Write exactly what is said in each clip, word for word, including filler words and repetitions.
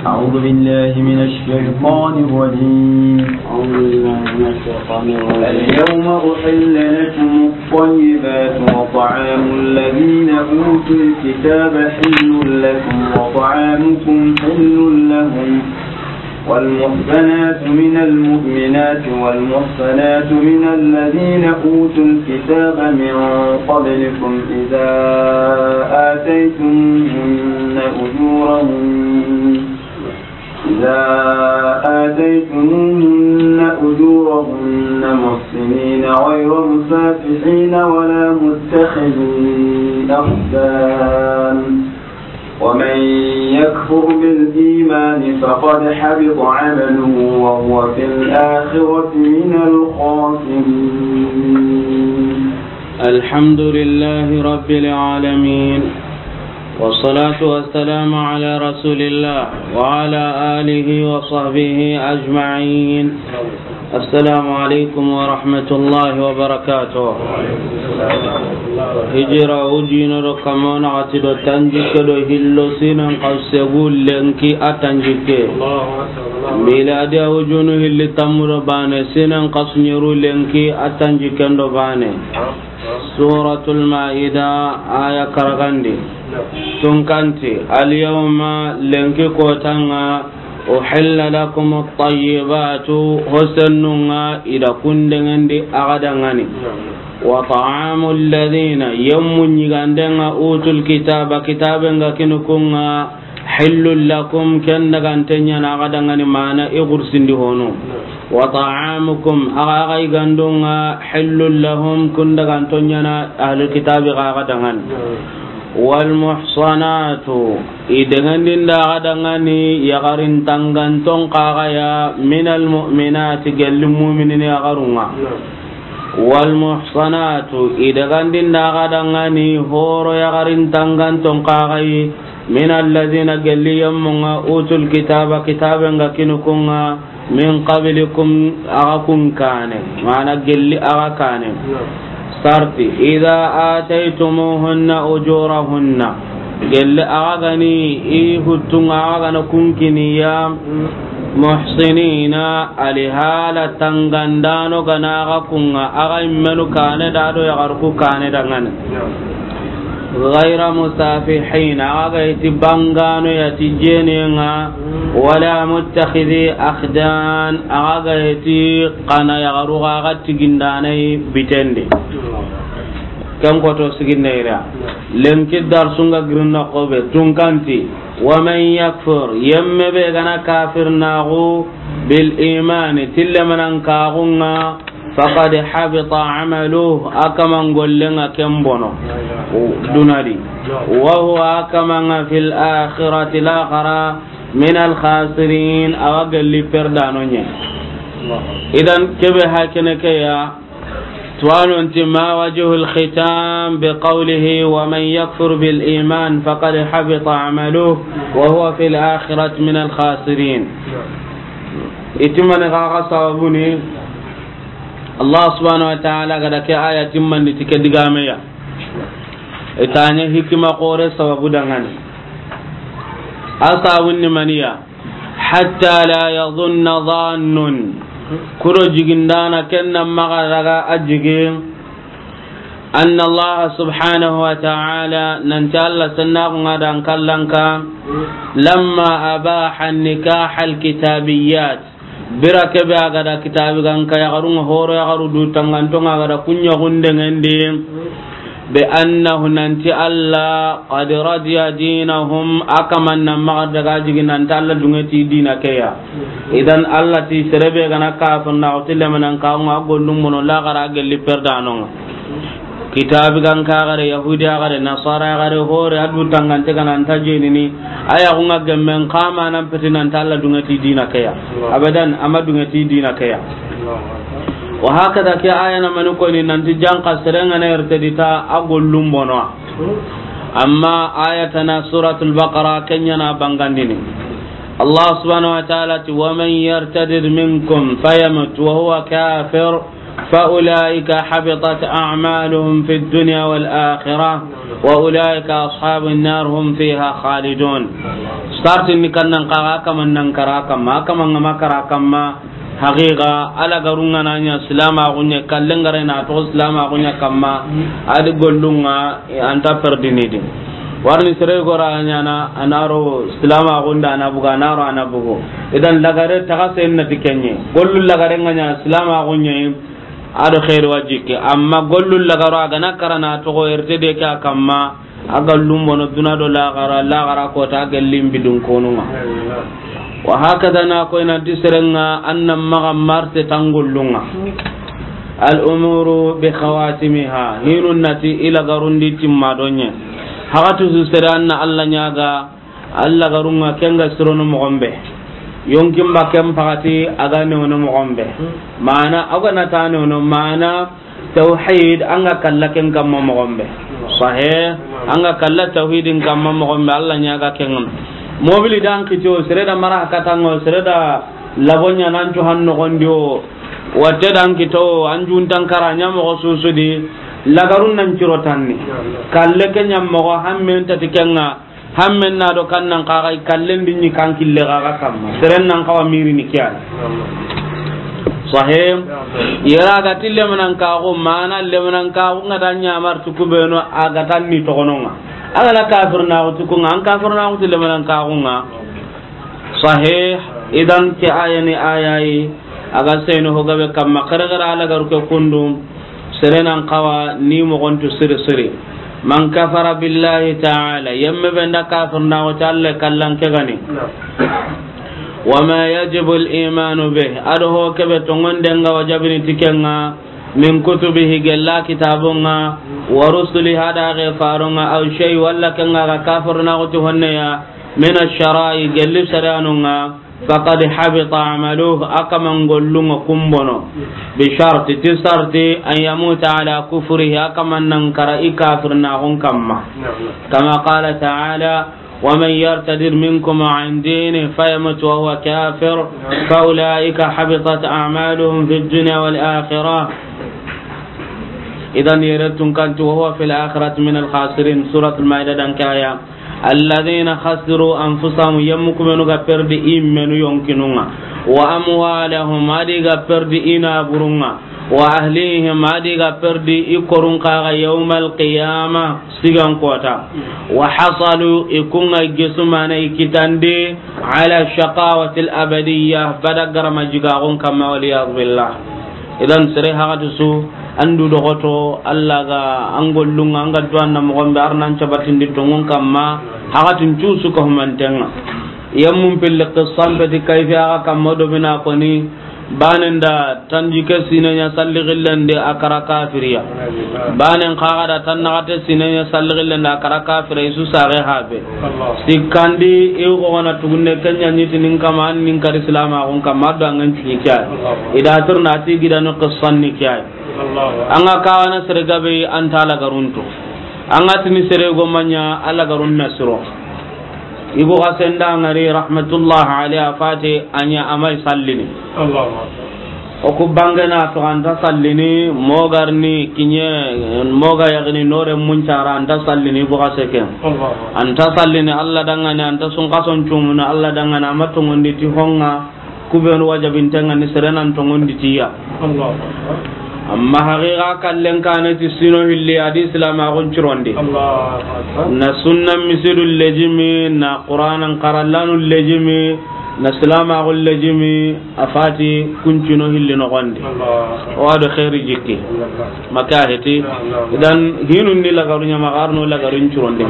أعوذ بالله من الشيطان الرجيم. أعوذ بالله من الشيطان الرجيم. اليوم أحل لكم الطيبات وطعام الذين أوتوا الكتاب حل لكم وطعامكم حل لهم. والمحصنات من المؤمنات والمحصنات من الذين أوتوا الكتاب من قبلكم إذا آتيتموهن أجورهن، إذا آتيتموهن أجورهن محصنين غير مسافحين ولا متخذي أخدان، ومن يكفر بالإيمان فقد حبط عمله وهو في الآخرة من الخاسرين. الحمد لله رب العالمين، والصلاة والسلام على رسول الله وعلى آله وصحبه أجمعين. السلام عليكم ورحمة الله وبركاته. Hijira ujino do kamona ati do tanjikke do hillo sinan kasegu lenki a tanjikke. Miladi ujunu hilli tammu do bane sinan kasunyeru lenki a tanjikken do bane. Suratul Maida, aya karagandi. Tunkanti, al yawma, lenki kotanga, uhilla lakum at-tayyibatu, hosennunga ida kundengendi agadangani. Wa ta'amu alladhina, yemmu nyigandenga, utul kitaba, kitabenga kinukunga, hillul lakum, ken dagantenyana agadangani, mana i gursindi hono. Wa ta'amukum, aga aga igandunga, hillul lahum, kun dagantonyana, ahlul kitabi ga agadangani. Wal muhsanatu, i dengandinda agadangani, yagarin tanganton kagaya, minal mu'minati, gelli mu'minini yagarunga. Wal muhsanatu, i dagandinda agadangani, horo yagarin tanganton kagayi, min alladhina, gelli yemmunga, utul kitaba, kitabenga kinukunga, min qablikum, aga kun kane, mana gelli aga kane. Sarti, idha ataytumuhunna ujurahunna, gelli aga gani i huttunga aga gana kunkiniya, muhsinina, alihala tangandano gana aga kunga, aga immenu kane da do yagarku kane dangane. Ghayra musafihin, aga iti bangano ya ti jenenga, wala muttakhidhi akhdan, aga iti kana yagaru ga tigindanai bitende. Ken koto siginne ira. Lenki darsunga girinna kobe tunkanti. Wa man yakfur, yemme be gana kafir nagu bil imani, tille manan kagunga, faqad habita amaluhu, a kaman gollenga ken bono. Dunadi. Wa huwa, a kamanga, fil akhirati, laxara, min al khasirin, awa gelli perdano nye. Idan kebe hakene ke ya, tuwanonti ma wajhul khitam bi qawlihi wa man yakfur bil iman faqad habita amaluhu wa huwa fil akhirati min al khasirin. Itimani kaga sababuni, Allah subhanahu wa ta'ala gada ke aya timmandi ti ke digameya. Itanya hikima kore sababu dangane. A sabunni maniya. Hatta la yadhunna dhannun. Kuro jigindana kenna maga daga a jigi. Anna Allah subhanahu wa ta'ala, nanti Allah sanna kunga dan kallanka. Lamma abaha nikah al kitabiyat. Bira kebe a gada kitabi ganka yagarunga horo yagaru du tangantonga a gada kunya gundengendi. Bi annahu, nanti Allah, qad radiya dinahum, a kaman na maga daga jigi nanti Allah dungeti dina keya. Idan Allah ti serebe gana kafir na otile manan kaunga gollum mono la gara gelli perdanonga. Kitabi ganka gare, Yahudi gare, Nasara gare, hore adu tangante gana anta jenini. Aya kunga gemmen kama nan peti nanti Allah dungeti dina keya. Abadan, ama dungeti dina keya. Wa hakada ke aya na mani koni nanti janka serenga na ertedita a gollum bono. Amma aya tana suratul Baqara kenya na bangandini. Allah subhanahu wa ta'ala ti, wa man yartadid minkum fayamut wa huwa kafir فأولئك حبطت أعمالهم في الدنيا والآخرة وأولئك أصحاب النار هم فيها خالدون. Sarti ni kannan kaga kaman nan kara kamma, kaman ngama kara kamma. Haqiqa, a lagarun ŋa na ɲa silamaxu ɲa, kallen ga ri na toxo silamaxu ɲa kamma, a di gollun ŋa, anta perdini di. Warni sere gora ɲana, a na ro silamaxun da a na bugu, a na ro a na bugu. Idan lagare taxa sen na ti ken ɲa. Gollu lagare ŋa ɲa silamaxu ɲa yi, a do xeeri wa jikki. Amma gollu lagaro a ga na kara na toxo erte de ke a kamma, a ga lumbono duna do laxara, laxara kota a ga limbi dun konun ŋa. Wa hakada na koy nanti seren ŋa an na maxa marte tan gollun ŋa. Al umuru bi khawatimiha, hinun na ti i lagarun di timma do ɲa. Haxatu su sere an na Alla ɲaga, a lagarun ŋa ken ga sirono moxon be. Yonkin ba ken paxati a ga newono moxon be. Mana a ga na ta newono, mana tawhid an ga kalla ken kamma moxon be. Sahe, an ga kalla tawhidin kamma moxon be, Alla ɲaga ken ŋa. Mobili dan kito, sere da mara kata ŋo, sere da labo ɲa nan cu han noxon di o. Watte dan kito, an juntan kara ɲa moxo susu di, lagarun nan ciro tanni. Kalle ke ɲa moxo hammen tati ken ŋa, hammen na do kannan kaga kallen di ɲi kan kille kaga kamma. Seren nan kawa miri ni kiyan. Sahe, yera ga ti lemanan kaxu, mana lemanan kaxu ŋa da ɲa mar tu kubeno a ga tan ni toxonon ŋa. A ga na kafir na tu kun ŋa, an kafir na tu lemanan kaxu ŋa. Sahih, idan ke aya ni aya yi, a ga seyno ho gabe kamma, xere xere a lagaru ke kundu, sere nan kawa ni moxon tu siri siri. Man kafara billahi ta'ala, yemme be nda kafir na wata Alla kallan ke gani. Wa ma yajibu al imanu bih, a do ho kebe tongonden ga wajabini ti ken ŋa, min kutubihi, gella kitabun ŋa, wa rusulihi, a da ge farun ŋa, aw shay, walla ken ŋa ga kafir na wata honne ya, min ash-shara'i, gelli sariyanun ŋa, faqad habita amaluhu, a kaman gollun ŋa kumbono, bi sharti, ti sarti, an yamuta ala kufrihi, a kaman nan kara i kafirnaxun kamma. Kama qala ta'ala, wa man yartadid minkum an dinihi fayamut wa huwa kafir, fa ulaika habitat a'maluhum fid dunya wal akhirah. Idan yere tun kanti, wa huwa fil akhirati min al khasirin, Suratul Maida dan kaya. Alladhina khasiru anfusahum, yemmu kumenu ga perdi i menu yonkinun ŋa, wa amwalahum, a di ga perdi i naburun ŋa, wa ahlihim, a di ga perdi i korun kaga, yawmal qiyama, sigan kota, wa hasalu, i kun ŋa gesu mana i kitandi, ala shaqawatil abadiyya, bada garama jigaxun kamma, wal iyadu billah. Idan sere haxati su, an du doxoto, Alla ga an gollun ŋa, an ga duwa na moxon be, ar nan cabatindi tongun kamma, haxatin cu su ka humanten ŋa. Yemmun pilli qissan peti kayfi axa kamma do bina koni, banen da tanjike sine ɲa salli xillen de a kara kafiriya. Banen xaxa da tannaxate sine ɲa salli xillen de a kara kafiriya, i su saxe habe. Sikkandi, i xo gana tugunne, ken ɲa ɲi ti nin kama, an nin kari silamaxun kamma, a do an ŋa ɲi ti ɲi ke ya. I da tirna ti gidanu qissan ni ke ya. An ga kawana sere gabe, an ta lagarun tu. An ga tini sere go ma ɲa, a lagarun na siro. Ibu Xasen da ŋari rahmatullah alayhi, a fati a ɲa a may sallini. O ku bangena to, an ta sallini, mogarni kiɲe, moga yagni nore muncara, an ta sallini, Ibu Xase ke. An ta sallini Alla dangani, an ta sunkason cumuna Alla dangani, a ma tongondi ti honga, kubenu wajabinten ŋa ni sere nan tongondi ti ya. Amma haqiqa kallen kane ti sino hilli a di silamaxun cirondi. Na sunna misidu lejimi, na Qur'anan karallanu lejimi, na silamaxun lejimi, a fati kuncino hilli noxondi. O wa do xeeri jikki. Maka heti. Idan hinun ni lagaru ɲa ma, arno lagarun curondi.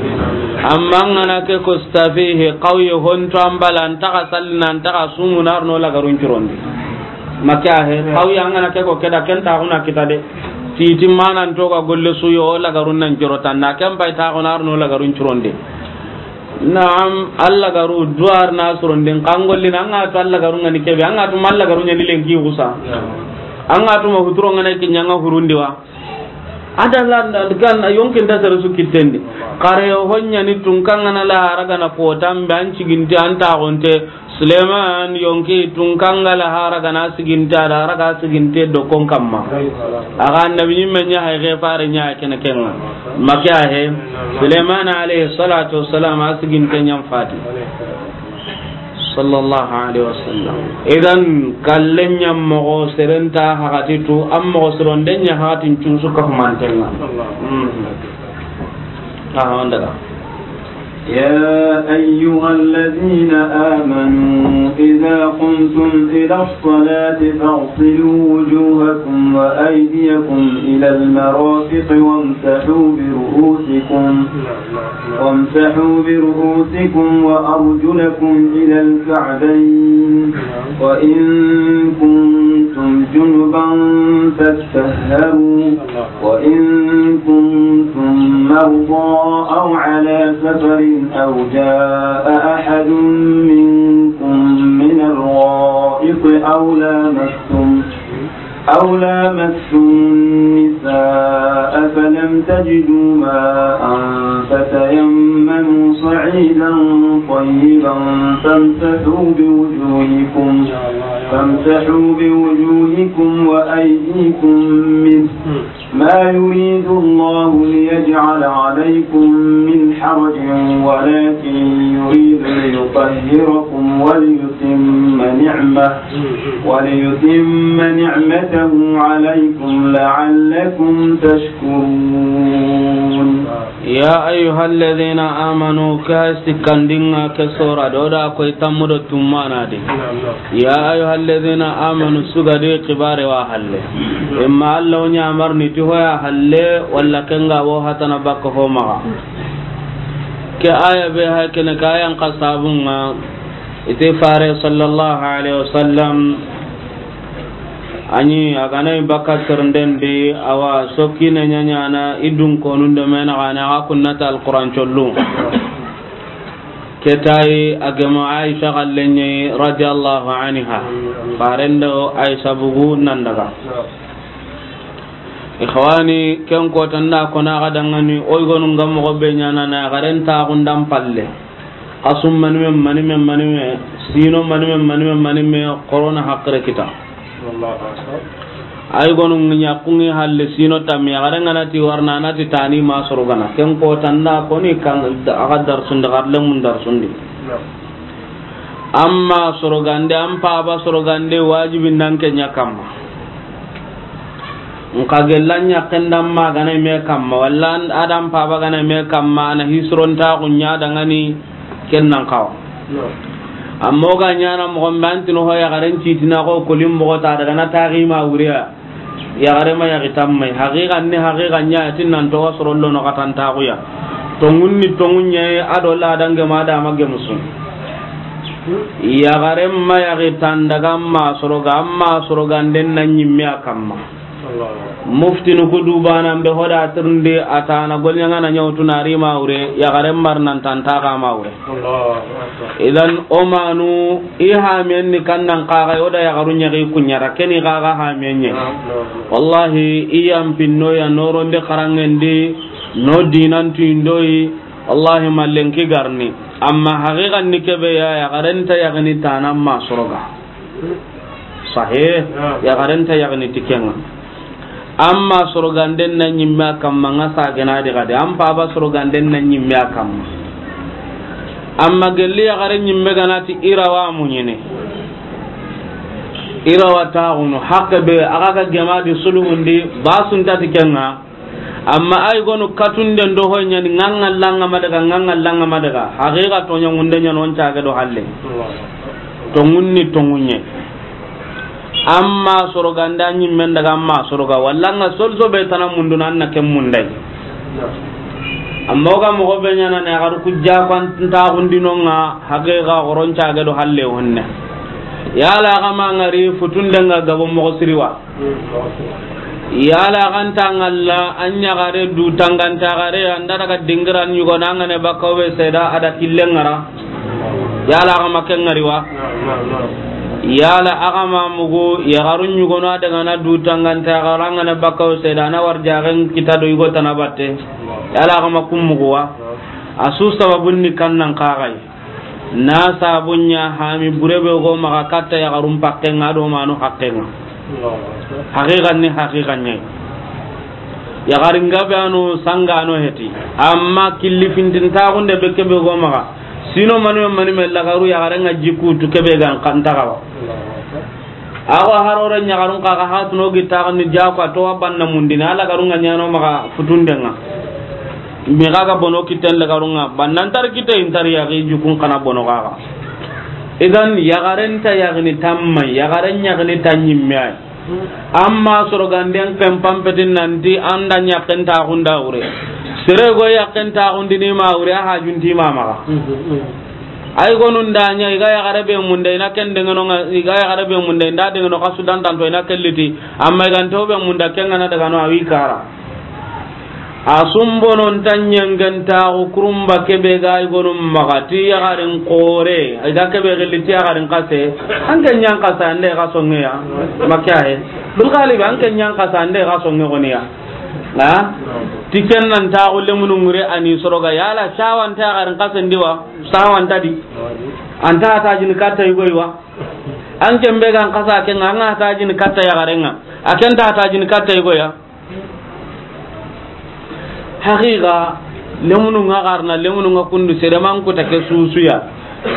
Amma an ga na ke ko stafihi, qawye honto an bala, an taxa sallina, an taxa sumuna, arno lagarun curondi. Maka he, qawye an ga na ke ko keda, ken taxuna kita de. Titi manan to ga golle su yo, lagarun nan curo tanna, ken bay taxuna, arno lagarun curondi. Naam, Alla garu duwar na surundin, kangolli na, an ga tu Alla garu ŋa ni kebe, an ga tu ma Alla garu ɲa ni lenki xusa. An ga tu ma huturo ŋa na kiɲa ŋa hurundi wa. Ada lan kan yonkin da sere su kittendi. Kare ho ɲa ni tun kan ŋa na la haraga na potambe, an ciginti, an taxonte, Suleiman yonki tun kangala hara gana siginte, a da hara ga siginte do kon kamma. A ga annabi ɲimme ɲa hay, ke fare ɲa kene kenga. Make a he, Suleiman alayhi salatu wassalam a siginte ɲan fati. Sallallahu alayhi wasallam. Idan, kallen ɲa moxo seren nta haxati tu, an moxo sironden ɲa haxatin cun su kafumantenga. Mm. Ah, on daga. يا أيها الذين آمنوا إذا قمتم إلى الصلاة فاغسلوا وجوهكم وأيديكم إلى المرافق وامسحوا برؤوسكم، وامسحوا برؤوسكم وأرجلكم إلى الكعبين، وإن كنتم جنبا فاطهروا، وإن كنتم مرضى أو على سفر أو جاء أحد منكم من الغائط أو لامستم، أو لامستم النساء فلم تجدوا ماء فتيمموا صعيدا طيبا فامسحوا بوجوهكم، فامسحوا بوجوهكم وأيديكم منه، ما يريد الله ليجعل عليكم من حرج ولكن يريد ليطهركم وليتم نعمته، وليتم نعمته عليكم لعلكم تشكرون. Ya ayyuhalladhina amanu, ka sikkandinga ke sora do da koy tammudo tummana de. Ya ayyuhalladhina amanu, sugadi kibare wa halle. Imma Allah o ɲamarni ti hoya halle, walla kenga wo hatana bakka ho maxa. Ke aya be ha kene ka yan kasabunga, ite fare sallallahu alaihi wasallam, ani a ga na i bakka sernden di, awa sokkine ɲaɲana i dun konun do mena gana a kunnata Alquran collu. Ketayi a gema Aisha gallenye radiyallahu anha. Farendo Aisha bugu nan daga. Ikhwani, ken ko tanda kona ga dangani, oy gonu ngam mo be ɲana na garen ta gundan palle. Asum manime, manime, manime, sino manime, manime, manime, corona hakre kita. Ay gonu ɲa kungi halle sino tam ya garen ngana ti warna na ti tani ma soro gana. Ken ko tanda koni kan aga darsundi, garle mun darsundi. Amma sorogande, an paba sorogande, wajibi nan ke ɲa kamma. Nka gella ɲa kenda ma gana me kamma, walla an, adan paba gana me kamma, ana hisron ta gunya dangani ken nan kawa. Amma ga ɲana mo gombe antino ho ya garen citina ko kolim mo ta daga na tagi ma wuriya. Yaxare ma yaxi tammay. Haqiqa ni haqiqa ɲa tin nan to wasoro lono katantaxuya. Tongun ni tongun ɲaye a do ladange ma dama gemusu. Yaxare ma yaxi tandaga ma soroga, amma soroganden na ɲimme a kamma. Muftinu ku dubanan be hoda tirndi a tana golɲanga na ɲawtu na ri ma wure, yaxare mar nan tantaxa ma wure. Allahu akbar. Idan o manu i hamiyen ni kannan kaga o da yaxaru ɲaxi kuɲara keni kaga hamiyen ɲe. Naam, naam. Wallahi i yan pinno ya noronde xarangendi no dinan tuindoyi. Wallahi mallen ki garni. Amma haqiqan ni kebe ya yaxaren ta yaxini tanan ma soroga. Sahe, ya garanta yagni tikenga. Amma soroganden na ɲimme a kamma nga sagena di gade. Am paba soroganden na ɲimme a kamma. Amma gelli yagare ɲimme ganati irawa muɲini. Irawa taxunu hakke be aga ga gema di suluhundi ba sunta tikenga. Amma ay gonu katunden do hoy ɲani nganga langa madaga, nganga langa madaga. Haqiqa to ɲangunde ɲanon cage do halle. Tongunni tongunye. Amma soroganda ɲimmen daga amma soroga walla nga solso be tana mundu nan na ken mundai. Amma oga mogo be ɲana ne garu kujja kan ta gundinonga haqiqa goron cage do halle honne. Yala gama ngari futundenga gabo mogo siriwa. Yala ganta ngalla an ɲagare du tanganta gare anda daga dingiran ɲugo nangane bakawe seda ada killen ngara. Yala gama ken ngari wa. Yala agama mugu yagaru ɲugo na daga na du tanganta gare ngane bakawe seda na war jagen kita do yugo tana batte. Yala gama kum mugu wa. Asu sababun ni kannan kagai. Na sabu ɲa hami bure be go maxa katta yaxarun pakken ŋa do manu hakken ŋa. Haqiqan ni haqiqan ɲa. Yaxarin gabe ano sanga ano heti. Amma killi fintin taxunde be kebe go maxa. Sino manu mani me lagaru yaxaren ŋa jikutu kebe gan kan taxawa. Awa harore ɲaxarun kaxa hatuno gi taxani jako a towa banna mundini a lagarun ŋa ɲano maxa futunden ŋa. Mi xaga bono kitten lagarun ŋa bannan tar kitte intar yaxi jukun xana bono xaxa. Idan yaxaren ta yaxini tamma yaxaren yaxini ta ɲimme ay. Amma soroganden ken pampetin nanti anda ɲakken taxunda wure. Sere go yakken taxundini ma wure a hajunti ma maxa. Ay gonun da ɲa iga yaxare be munda ina ken dengeno ŋa iga yaxare be munda inda dengeno kasu dantanto ina kelliti amma iganto be munda ken ŋa na daga no awi kara. A sumbonon ta ɲengen taxu kurumba kebe ga ay gonun maxa ti yaxarin xore iga kebe xilli ti yaxarin xase. An ke ɲan xasa ande xa songeya. Makka he. Dul galibi an ke ɲan xasa ande xa songe goniya. Ha? Ti ken nan taxu lemunu ŋure ani soroga yala sawanta yaxarin xasen diwa. Sawanta di. Anta tajin katta yugoy wa. An kembe gan kasa ken ŋa an ga tajini katta yaxaren ŋa. A ken ta tajini katta yigo ya. Haqiqa lemunu ŋa xarna lemunu ŋa kundu sereman kuta ke susuya.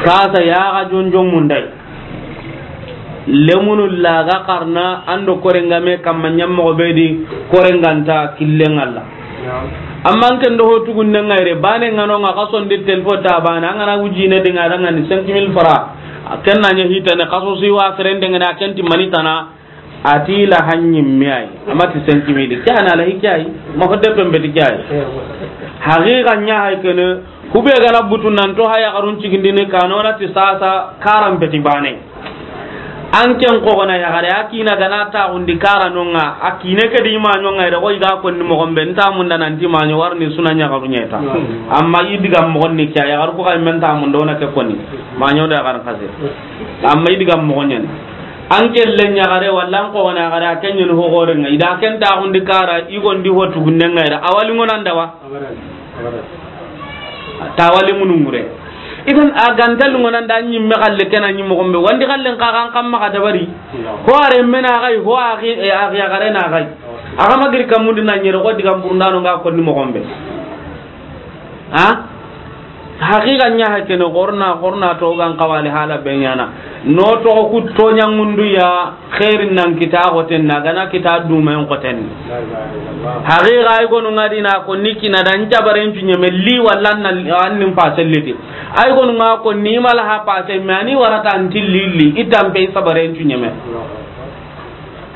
Kasa yaxa jonjon mundai. Lemunu laga xarna ando korengame kamma ɲammoxo be di korenganta killen ŋa la. Amma an ken do ho tugunnen ŋa yere bane ŋa no ŋa xason di telefo ta bane an ga na wujine dinga dangani cinq mille francs. Ken na ɲa hitane xaso si wa serendengene a ken ti mani tana. Ati la hanyi miyai. Amati cinq mille ke ana la hikiyai. Ma hodde pembe ti kiyai. Haqiqa ɲa hay kene. Kube gana butu nan to haya garun cigindini kanona ti sasa karan peti bane. An ken ko gona ya gare akina gana ta undi kara nonga akine ke di ma nyonga ida ko iga ko ni mo gombe nta munda nan ti ma nyo warni suna ɲa garu ɲeta. Amma idiga mo ni kiyai ya garu ko kay men ta munda ona ke koni. Ma nyo da garan kase. Amma idiga mo nyen. An kelle ɲagare walla an kogone ɲagare a kenɲeni hogorenga ida ken taxundi kara igondi ho tugunnenga ida awali ŋonanda wa. Abadan. Abadan. Tawali munungure. Idan a ganta lungonanda ɲimme xalle kena ɲi moxombe wandi xallen kaxan kamma xa dabari. Ho are mena xay ho axi yaxarena xay. Axa magiri kammundi na ɲere xo digan burundano nga konni moxombe. Ha? Haqiqa ɲa hakene xorna xorna to gan kawali hala be ɲana no to ku to ɲangundu ya khairin nan kita xoten na gana kita dumen xoten. Haqiqa ay gonu ngadina ko nikina dan jabaren cuɲeme li walla nan annin paselliti ay gonu nga ko ni mala ha pase mani warata antilli itampe sabaren cuɲeme.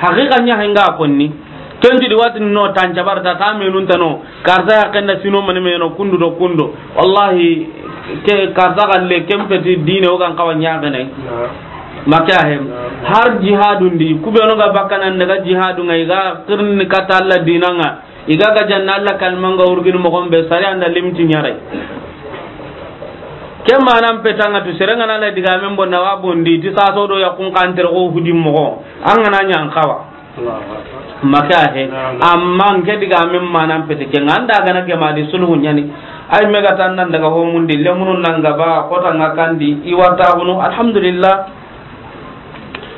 Haqiqa ɲa henga konni. Ken ti di wati no tan jabar ta ta menun tano karta ya kenda sino mani meno kundu do kundo wallahi ke karta galle ken peti dine o gan kawa ɲagane. Maka hem har jihadun di kubeno ga bakana daga jihadu ngai ga kirni kata Allah dinanga iga ga janna Allah kalmanga urgin mo gombe sari anda limti ɲare. Ken manan petanga tu serengana la diga men bonna wa bondi ti saso do yakun kanter ko hudi mo an gana ɲan kawa. Maka he. Amma nke diga men manan pete ke nganda gana ke madi sulhu ɲani. Ay mega tan nan daga ho mundi lemunun nan gaba kota nga kandi iwata hunu alhamdulillah.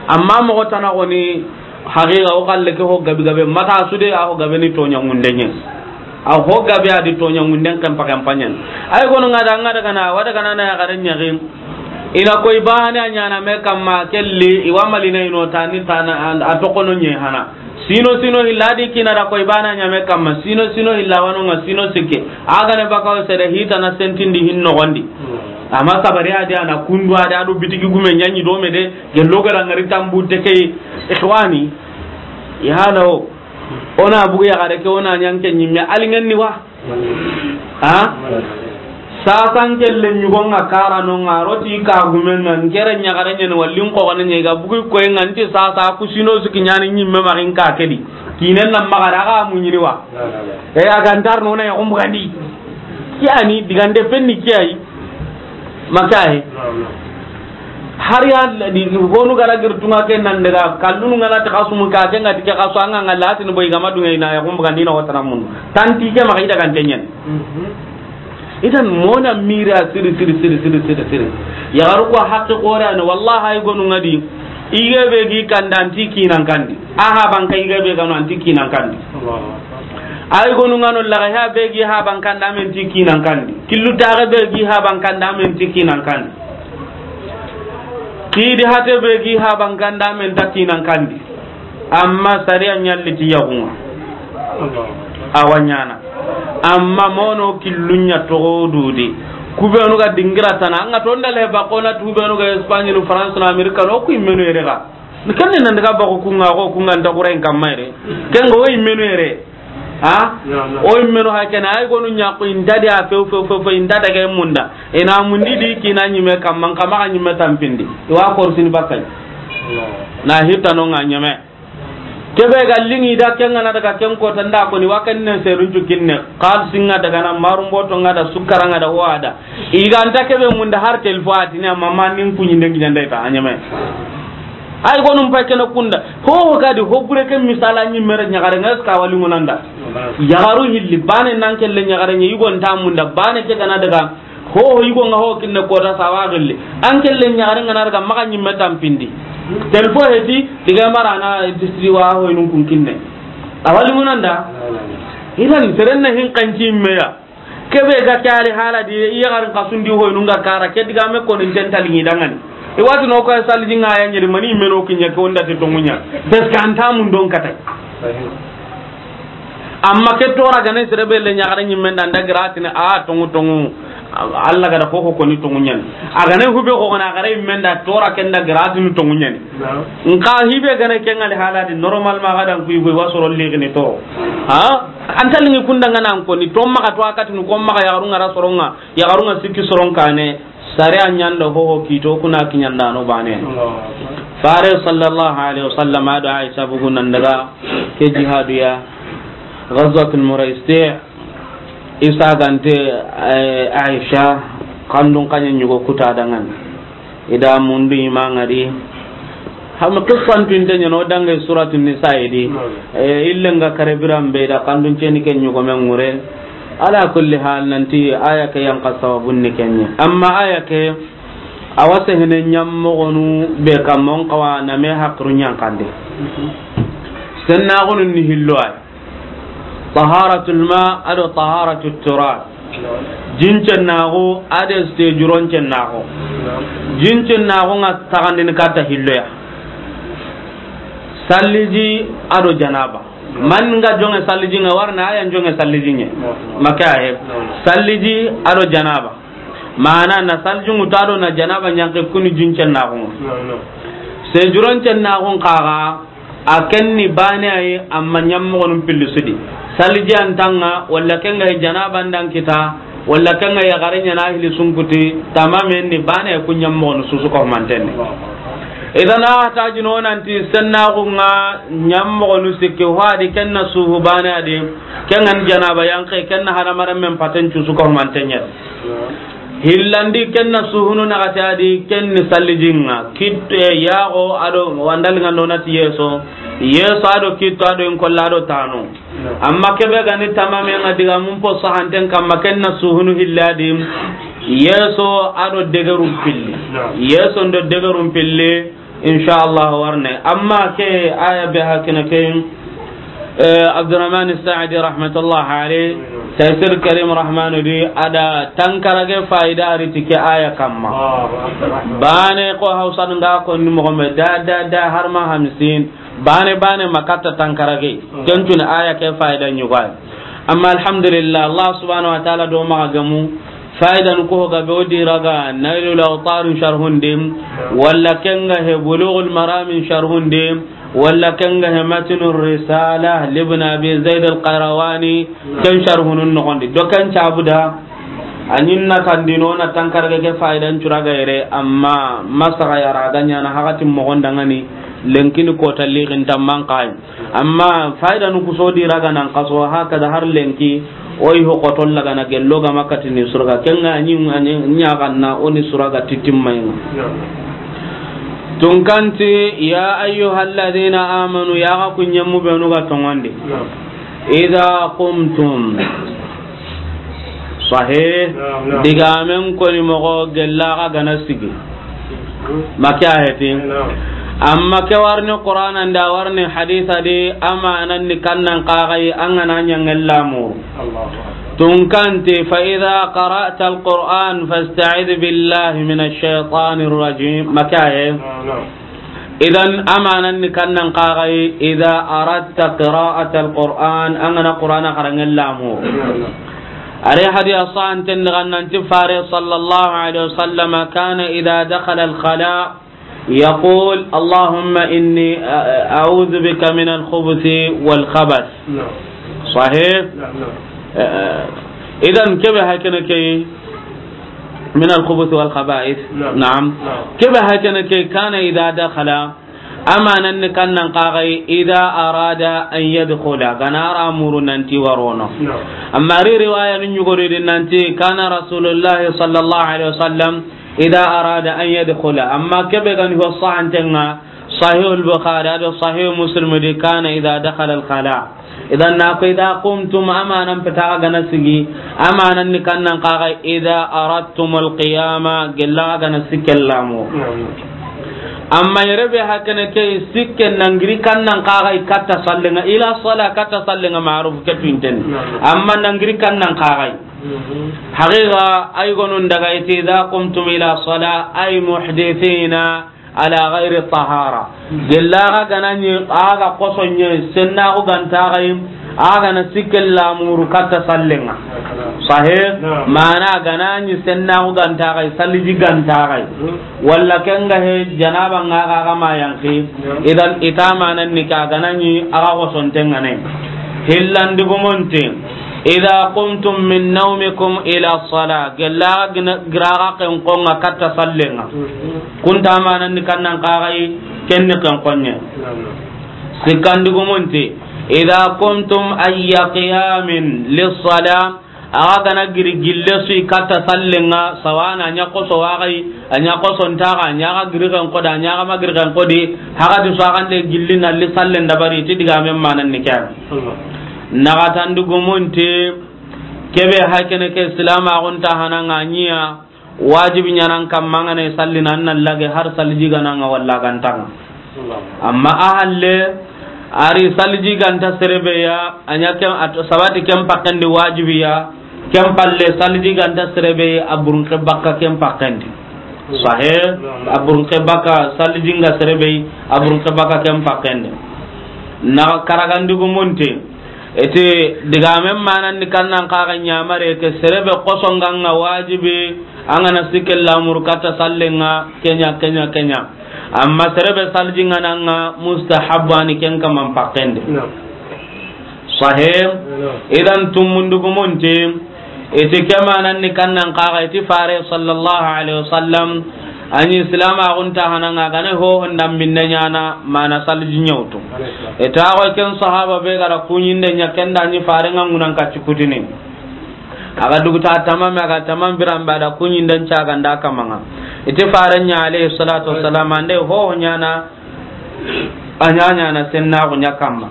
Amma moxo tana xoni haqiqa o xalle ke ho gabi gabe mata sude a ho gabe ni toɲa ŋundenye. A ho gabe a di toɲa ŋunden kan pakan panyan. Ay gono nga da nga daga na wa daga na na ya garen ɲagin. Ina koy bane a ɲana me kamma kelli iwa malina ino tani tana a tokono ɲe hana. Sino sino hilla di kina da koy bana ɲame kamma sino sino hilla wano nga sino sikke. Aga ne bakaw sede hitana sentindi hin nogondi. Amma sabari adi ana kundu adi ado bitigi gume ɲaɲi do me de gello gara ngari tambu de kay ikhwani. Ya halawo. Ona bugu ya gare ke ona ɲanke ɲimme alingan ni wa. Ha? Sasan kelle ɲugo nga kara no nga roti ka gumen nga ngere ɲagare ɲen wallin ko gane ɲe ga bugu ko nga nti sasa ku sino suki ɲani ɲimme ma in ka kedi. Kinen na magara ga mu ɲini wa. E aga ntar no na ya ko mbugandi. Kiyani digande penni kiyayi. Maka he. Har ya di honu gara girtunga ke nan daga kallunu ngana ta kasumu ka ke ngati ke kasu anga ngala tin boy gama dunga ina ya kumbu kan dina wata mun tanti ke maka ida kan tenyen. Idan mona mira siri, siri, siri, siri, siri, siri. Yaxaru ko haqqe xoore ya ni, wallahi, ay gonu ŋa di. Yige be gi kanda, an ti kinan kandi. A haban ka yige be ga no, an ti kinan kandi. Ay gonu ŋa no, laga ha be gi haban kanda, an ti kinan kandi. Killu taxe be gi haban kanda, an ti kinan kandi. Kidi hate be gi haban kanda, an ta kinan kandi. Amma sariya ɲalli ti yaxun ŋa. A wa ɲaana. Amma mono killunya toxo dudi. Kubenu ga dingira tana. An ga tonda le ba kona tubenu ga Espagne no, France no, America no, ku imenu yere ga. Ni kenne nan daga ba ko kunga, ko kunga nda kuren kamma yere. Ken go imenu yere. Ha? O imenu hakene, ay gonu ɲa ko inda dia few, few, few, few, inda daga munda. Ina mundi di kina ɲime kamma, kama ga ɲime tampindi. Iwa korsini bakay. Na hitano nga ɲeme. Kebe ga lingi da ken ŋa na daga ken ko tanda ko ni wa ken ne serun cu kinne. Xalisi ŋa daga na, marumboto ŋa da, sukara ŋa da, wa da. Iga nta kebe munda har telefo a tini, amma ma nin kuɲi ndengi ɲanda ita a ɲeme. Ay gonum pay kena kunda. Ho ga di ho bure ke misala ɲi mere ɲaxare ŋa, est-ce que a wali ŋonanda? Yaxaru hilli bane nan kelle ɲaxare ɲi, yugo nta munda bane ke ga na daga. Ho, ho, yugo ŋa ho kinne kota sawa gilli. An kelle ɲaxare ŋa na daga maxa ɲimme tampindi. Telefo heti, tiga marana distri wa ho inun kun kinne. A wali ŋonanda? Idan seren na hin kanci meya. Kebe ga kari hala di, iya garin kasundi ho inun ga kara, ke diga me ko nin tentali ni dangani. I wati no ko saliji ŋa ya ɲeri mani meno kinya ko nda te tongunya. Parce que an ta mun don katay. Amma ke tora gane sere be le ɲaxare ɲimme nda nda giratini a tongu tongu. Allah ga da ko ko ni tongu ɲani. A gane hube ko na gare ɲimme nda tora ken da giratini tongu ɲani. Nka hibe gane ken ŋa le hala di normal ma ga dan ku yugo wa soro le gine to. Ha? An talingi kunda ŋa nan ko ni to maxa to akati nu ko maxa yaxaru ŋa ra soro ŋa, yaxaru ŋa sikki soro ŋa kane. Sare a ɲanda ho ho kito kuna kiɲanda no bane. Fare sallallahu alaihi wasallam a do Aisha bugu nan daga ke jihadu ya Ghazwatul Muraisi. Isa gante, eh, Aisha kandun kanya nyugo kuta dangan. Ida mundu imangari. Ham qissan tinte ɲano dange suratu Nisa idi. Eh, illenga kare biran be da kandun ceni ke nyugo men ŋure. Ala kulli hal, nanti aya ke yan ka sababun ni kenye. Amma aya ke, a wa sehene ɲammoxonu be kamma, on xawa na me haqiru ɲankande. Sennaxunu ni hillo ay. Taharatul ma ado taharatul turab. Jincennaxu ade sejuroncennaxu. Jincennaxu ŋa taxandini katta hilloya. Salliji ado janaba. Man nga jonge salliji ŋa warna aya jonge salliji ŋe. Maka he. Salliji ado janaba. Mana na saljuŋu ta do na janaba ɲanke kuni jincennaxu. Sejuroncennaxun kaga a kenni bane ayi, amma ɲammoxonun pilli sudi. Saliji antanga, walla kenga janaba ndan kita, walla kenga yaxare ɲana hili sunkuti, tamamen ni bane ku ɲammoxonu susu ko mantenni. Idan a tajino nanti sennaxu ŋa ɲammoxonu sikki, ho adi kenna suhu bane adi, kengan janaba yanke, kenna hadamaren men paten cusu ko mantenye. Hillandi kenna suhunu naxati adi, kenni sallijinga, kit, eh, yaxo ado wandalingando nati yeso, yeso ado kitto ado inkolla ado tano. Amma kebe gani tamame nga diga mun po sahanten kamma kenna suhunu hilladi, yeso ado degerum pilli. Yeso ndo degerum pilli. Insha Allah warne. Amma ke aya be hakina ke, eh, Abdurrahman Sa'di rahmatullah alayh, Tafsir Karim Rahmanu di ada tankarage faida ariti ke aya kamma. Bane ko Hausa nga ko ni mo me da, da, da, har ma hamsin. Bane, bane makatta tankarage. Kencun aya ke faida nyugai. Amma alhamdulillah, Allah subhanahu wa ta'ala do maxa gamu. Faidanu ko ga be o diraga Nailul Awtar sharhun dim, walla kenga he Bulughul Maram sharhun dim, walla kenga he Matnur Risala Ibn Abi Zaid Al-Qayrawani, ken sharhunun noxondi. Do ken cabuda, a ɲinna kandino na tankarage ke faidan curaga yere, amma masaga yara ga ɲana hakatin moxon dangani, lenkini kota lixin tamman kayi. Amma faidanu kuso diraga nan kaso, hakada har lenki, oyi ho kotolla gana gello ga makatini suraga. Kenga ni ɲaganna oni suraga titimmainga. Tunkanti, ya ayyuhalladhina amanu, ya ga kunyemu benu ga tongondi. Idha qumtum, Sahih. Naam, naam. Digaamen koni moxo gella ga gana sigi. Maka heti. Naam. Amma ke warni Qur'ana nda warni hadisa di, amanan ni kannan kagai an gana ɲa ŋellamu. Allahu Akbar. Tunkanti, "Fa idha qara'ta al-Qur'an fasta'idh billahi minash shaytanir rajim." Maka he. Naam, naam. Idan, amanan ni kannan kagai, idha aradta qira'at al-Qur'an, an gana Qur'ana xaranŋellamu. Naam, naam. Are hadiya sahanten daga nanti Fare sallallahu alaihi wasallam kana idha dakhala al-khala yaqul, "Allahumma inni, a-, a'udhu bika min al-khubuthi wal khabath." Naam. Sahih? Naam, naam. Eh, idan kebe hakene ke min al-khubuth wal khaba'ith. Naam. Naam. Naam. Kebe hakene ke kana idha dakhala, amanan ni kannan kagai idha arada an yadkhula, gana ra muru nanti warono. Naam. Amma ri riwaya ni ɲugori di nanti kana Rasulullah sallallahu alaihi wasallam idha arada an yadkhula. Amma kebe gani ho sahantenga, Sahih al-Bukhari ado Sahih Muslim di, kana idha dakhala al-khala. Idan na ko idha qumtum, amanan peta gana sigi, amanan ni kannan kagai idha aradtum al-qiyama, gella gana sikkellamu. Amma yere be hakene ke sikke nangiri kannan kagai katta sallenga, ila sala katta sallenga ma'ruf ke tuinten. Amma nangiri kannan kagai. Haqiqa, ay gonun daga iti, "Idha qumtum ila sala", ay muhdithina ala ghayri tahara. Gella ga ganani aga kosonye, senna ku ganta gai, aga na sikkellamu ru katta sallenga. Sahih? Naam. Mana ganani senna ku ganta gai, saliji ganta gai. Walla kenga he janaba nga ga, ga ma yanki. Naam. Idan itamanan ni ka ganani aga kosontenga ne. Hillan dugumonte. Idha qumtum min nawmikum ila salah. Gella gina-, giraga ken konga katta sallenga. Kunta manan ni kannan kagai kenni ken konye. Sikkan dugumonte. Idha qumtum ayya qiyamin lis salah. Aga gana giri gille sui katta sallenga, sawana nya koso wagai, anya koso ntaga, anya ga giri ken koda, anya ga ma giri ken kodi, haga di so agande gilli na li sallen dabari, ti digamen manan ni kya. Naxatandugumunti, kebe hakene ke silamaxun ta hananga ɲiya, wajibi ɲanan kamma ngana sallina, an na lage har saliji gananga walla gantanga. Amma a halle, ari saliji ganta serebe ya, a ɲa ken, a sabati ken pakkendi wajibi ya, ken palle saliji ganta serebe, a burunke bakka ken pakkendi. Sahe, a burunke bakka saliji nga serebe, a burunke bakka ken pakkendi. Na karagandugumunti, iti digamen manandi kannan kaga ɲamare ke serebe kosonganga wajibi, angana sikke lamuru katta sallenga, kenya, kenya, kenya. Amma serebe saliji ngananga mustahabu ani ken kaman pakkendi. Sahih. Idan tumundugumunti, iti ke mananni kannan kaga iti fare sallallahu alaihi wasallam, ani silamaxun ta hananga gane ho honda minne ɲana mana saliji ɲawtu. Ita ko ken sahaba be gara kuɲinde ɲa kenda ni fare ngangunan kacci kutini. Aga duguta tamam, aga tamam biran bada kuɲinden caganda kamanga. Iti fare ɲa alayhi salatu wassalam ande ho ɲana, a ɲaɲana sennaxu ɲa kamma.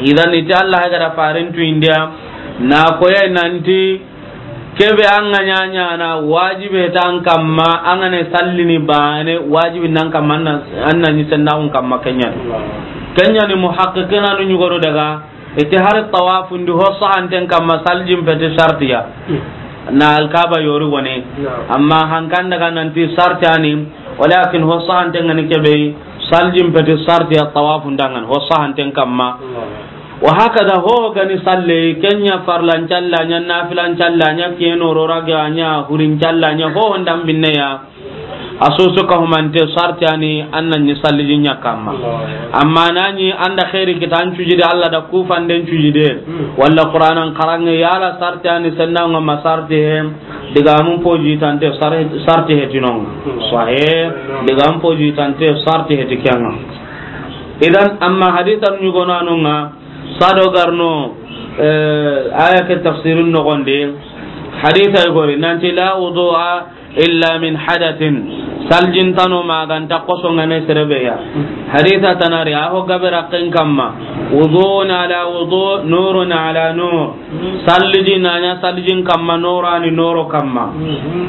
Idan iti Allah gara farentu india, na koya nanti kebe anga ɲaɲana wajibe tan kamma, angane sallini bane wajibi nan kamma, anna, anna ni sennaxun kamma kenya. Kenya ni muhaqqiqina nu ɲugoro daga, iti hari tawafundi ho sahanten kamma salijin peti sartiya. Na alkaba yori wone. Amma hankan daga nanti sartiyani, walakin ho sahanten ngani kebe, salijin peti sartiya tawafundangani, ho sahanten kamma. Wa hakada ho gani salle, kenya farlan calla ɲa, nafilan calla ɲa, keno rora ga ɲa, hurin calla ɲa, ho hondan binneya. A soso ka humante sartiyani anna ni salliji ɲa kamma. Amma nani anda khairi kita an cujide Allah da kufanden cujide. Walla Qur'anan karange yala sartiyani sennanga ma sarti he. Digamun poji tante sar-, sarti he tinonga. Sahih. Digamun poji tante sarti he tikenga. Idan amma hadithan ɲugonanunga sado garno, eh, aya ke tafsirun nogonde. Haditha igori nanti la wudu'a illa min hadathin. Saljin tano ma ga nta xoso ŋa ne sere be ya. Hadisa tana ri, a ho gabe raqqen kamma. Wudu'un ala wudu', nurun ala nur. Salji na ɲa saljin kamma, noro ni noro kamma.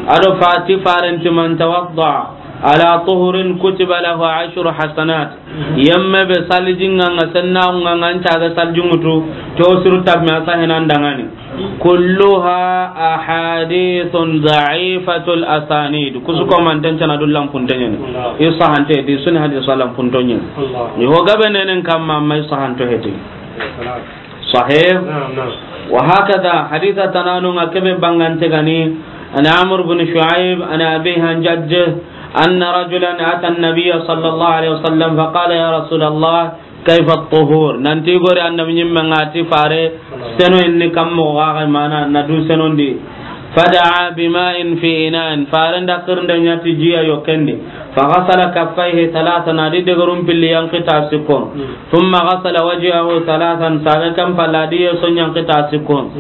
A do fa ti faren ti man tawadda ala tuhurin kutiba lahu ashru hasanat. Yemme be saljin ŋa, ŋa senna ŋa, ŋa nta ga saljin ŋutu, to suru tab me a sa henan dangani. Kulluha ahadithun da'ifatul asanid. Kusu ko man tan cana dullan puntenyen. I sahante di suni hadis salam puntonyen. Ni ho gabe nenen kamma, mai sahanto heti. Sahih. Naam, naam. Wa hakada hadisa tananu ŋa kebe bangante gani. An Amr bin Shu'aib, an abihi an jaddihi, anna rajulan ata an-nabiyya sallallahu alaihi wasallam, fa qala, ya Rasulallah, kayfa at-tuhur? Nanti gori annabi ɲimme ŋa ti fare, seno inni kammo ga ga mana na du senondi. Fada'a bima'in fi ina'in, fare nda kirnde ɲa ti jiya yo kendi. Fa ghasala kaffayhi thalathan, a di degerum pilli yanki ta sikko. Thumma ghasala wajhahu thalathan, saga kan palla a di yeso yanki ta sikko.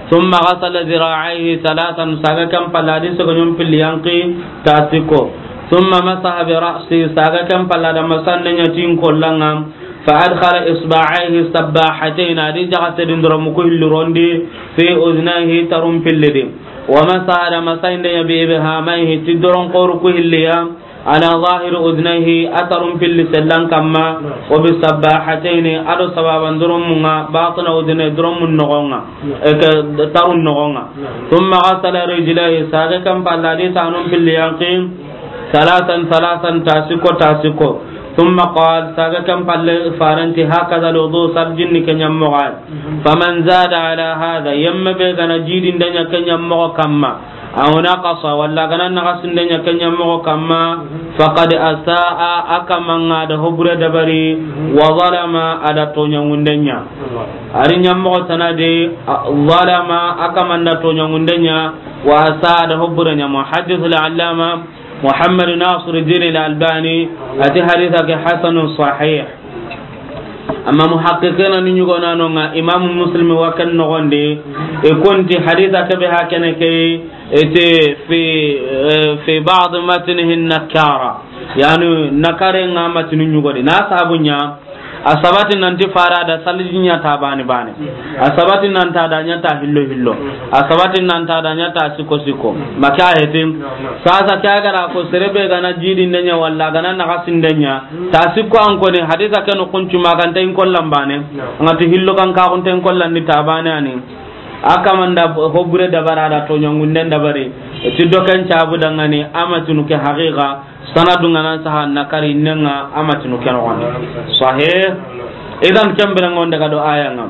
Thumma ghasala dhira'ayhi thalathan, saga kan palla a di sogo ɲom pilli yanki ta sikko. Thumma masaha bi ra'si, saga kan palla da masande ɲa tin kollanga. Fa adkhala isba'ayhi sabbahatayn, a di jaga sedin doromu ku hilli rondi, fi udhnayhi, tarum pillidi. Wa masaha da masande ɲa bi ibhamayhi, ti doron koru ku hilliya, ala zahiri udhnayhi, a tarum pilli sellan kamma, wa bi sabbahatayn, a do sababan doromu ŋa, batina udhnayhi, doromu nogonga, e ke tarun nogonga. Thumma ghasala rijlayhi, saga kan palla a di tanum pilli yanki, Salasan, salasan, ta sikko, ta sikko. Thumma qal, saga kan palle faranti, hakaza al-wudu, saljin ni ke ɲa moxo ya. Faman zada ala hadha, yemme be ga na jidinde ɲa ke ɲa moxo kamma. Aw naqasa, walla ga na naxasinde ɲa ke ɲa moxo kamma. Faqad asaa, a kaman ŋa da hobure dabari. Wa zalama, a da toɲangunde ɲa. A ri ɲa moxo tana de, a, zalama, a kaman da toɲangunde ɲa. Wa asaa, a da hobure ɲa. Muhaddith al-allama Muhammad Nasiruddin al-Albani a ti hadisa ke hasanun sahih. Amma muhaqqiqina ni ɲugonano ŋa, Imam Muslim wa ken nogondi, e konti hadisa ke be hakene ke, e te fi, e, fi ba'd matnihi nakara. Yani, nakare ŋa matnu ɲugodi. Na sabu ɲa, A sabati nanti fara da saliji ɲa ta bani bani. A sabati nanta da ɲa ta hillo hillo. A sabati nanta da ɲa ta siko siko. Maka hetin. Sasa kya gara ko serebe ga na jidinde ɲa walla ga na naxasinde ɲa. Ta siko an koni hadisa kenu kuncu maganta in kollan bane. Ngati hillo kan ka kunta in kollan ni ta bane ani. A kamanda hobure dabara da toɲangunden dabari. Ti dokan cabu dangani a matunu ke haqiqa. Sanadu ŋa nan saha nakari nenga a matinu ke noxon di. Sahih. Idan ken bire ŋa o nda ga do aya ŋa.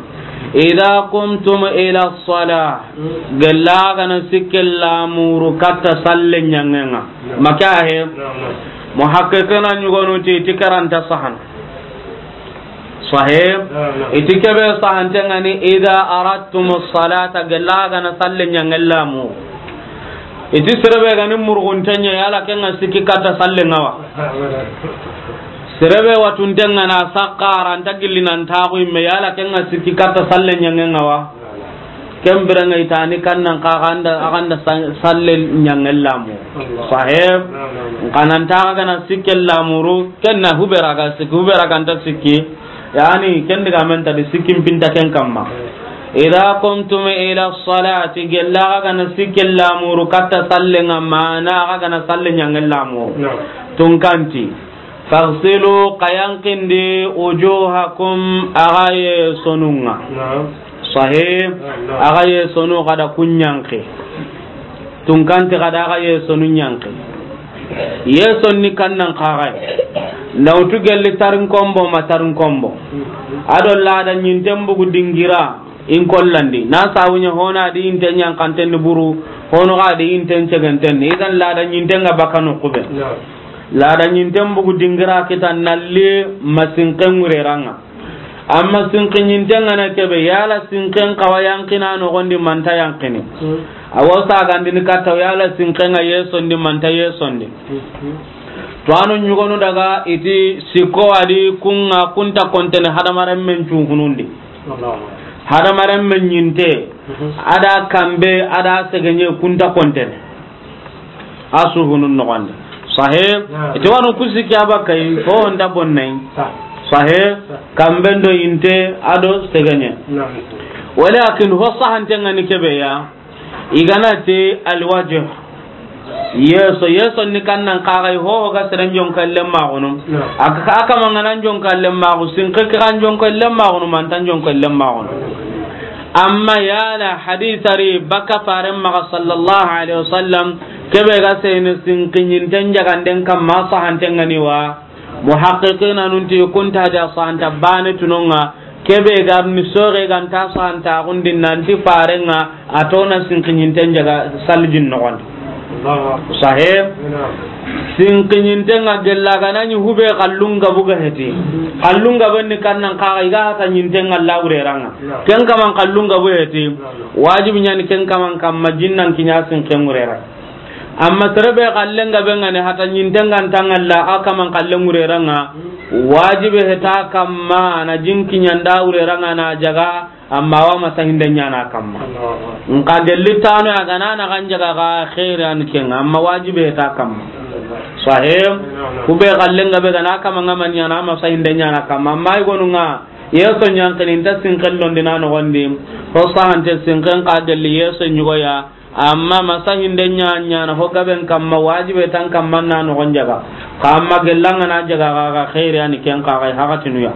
Idha qumtum ila salah. Gella ga na sikke lamuru katta salle ɲangenga. Maka he. Muhaqqiqina ɲugonu ti, ti karanta sahana. Sahih. Naam, naam. Iti kebe sahante ŋa ni, idha aradtumus salata, gella ga na salle ɲangen lamu. Iti serebe ga ni murgunte ɲa, yala ken ŋa sikki katta salle ŋa wa. Serebe watunte ŋa na sakka aranta gilli nan taxu imme, yala ken ŋa sikki katta salle ɲangen ŋa wa. Ken bire ŋa itani kannan ka ganda, a ganda sa-, salle ɲangen lamu. Sahib. Kananta ga na sikke lamuru, ken na hubera ga sikki, hubera ga nta sikki. Yani, ken diga men ta di sikkin pinta ken kamma. Idha qumtum ila salati, gella ga na sikke lamuru, katta salle ŋa mana ga na salle ɲangen lamu. Naam. Tunkanti. Faghsilu, xa yanqindi, wujuhakum, axa yesonun ŋa. Naam. Sahih. Naam, naam. Axa yesonu xa da kun yanqi. Tunkanti xa da axa yesonu yanqi. Yeson ni kannan xaxay. Nawtu gelli tarin kombo ma tarin kombo. Ado lada ɲinten bugu dingira. In kollandi na sawuɲa hona di inte ɲankanten ni buru, hono ga di inte ɲeganten ni. Idan lada ɲinten ŋa bakano kube. Naam. Lada ɲinten bugu dingira kita nalli masinken ŋureranga. Amma sinki ɲinten ŋa na kebe, yala sinken xawa yanqina noxon di manta yanqini. Hmm. Awo sagandini katta, yala sinken ŋa yesondi manta yesondi. Hmm. To anu ɲugonu daga iti sikko adi kun ŋa kunta kontene hadamaren men cuhunundi. Hadamaren men ɲinte, ada kambe, ada segeɲe kunta kontene. A suhunun noxondi. Sahih. Naam. Ite wanu kusi ke a bakka yi, ho nda bonnay. Sah. Sahih. Sah. Kamben do yinte a do segeɲe. Naam. Walakin ho sahanten ŋa ni kebe ya, i ga na ti alwajh. Yeso, yeso ni kannan kaga yi, ho ga seren jonkallen maxunu. Naam. A ka, a kaman ga na jonkallen maxu, sinke ke ga jonkallen maxunu, mantan jonkallen maxunu. Amma yala hadisa ri bakka faren maxa sallallahu alaihi wasallam, kebe ga sene sinkiɲinten jaganden kamma sahanten ŋa ni wa. Muhaqqiqina nun ti kunta da sahanta bane tunonga, kebe ga ni soge ga nta sahanta gundi nanti faren ŋa a tona sinkiɲinten jaga salijin noxon. Allahu akbar. Sahih. Naam. Sinkiɲinten ŋa gella ga na ɲi hube kallun gabu ga heti. Kallun gabu ni kannan kaga i ga hata ɲinten ŋa lawure ranga. Naam. Ken kaman kallun gabu heti. Naam. Wajibi ɲani ken kaman kamma jinnan kiɲa sinken ŋurera. Amma sere be kallen gabe ŋa ni hata ɲinten ŋa nta ŋalla a kaman kallen ŋurera ŋa, wajibe heta kamma na jinkiɲanda wurera ŋa na jaga, amma wa masahinden ɲana kamma. Nka gelli tano ya ga na na kan jaga ga khairi an ken, amma wajibe heta kamma. Sahih. Kube kallen gabe ga na kaman ga man ɲana masahinden ɲana kamma. Amma i gonu ŋa, yeso ɲankini nta sinken londi na noxondi. Ho sahante sinken ka gelli yeso ɲugoya. Amma masahinden ɲa ɲana ho gaben kamma, wajibe tan kamma na noxon jaga. Ka amma gellan ga na jaga ga, ga khairi ani ken ka ga hakatinu ya.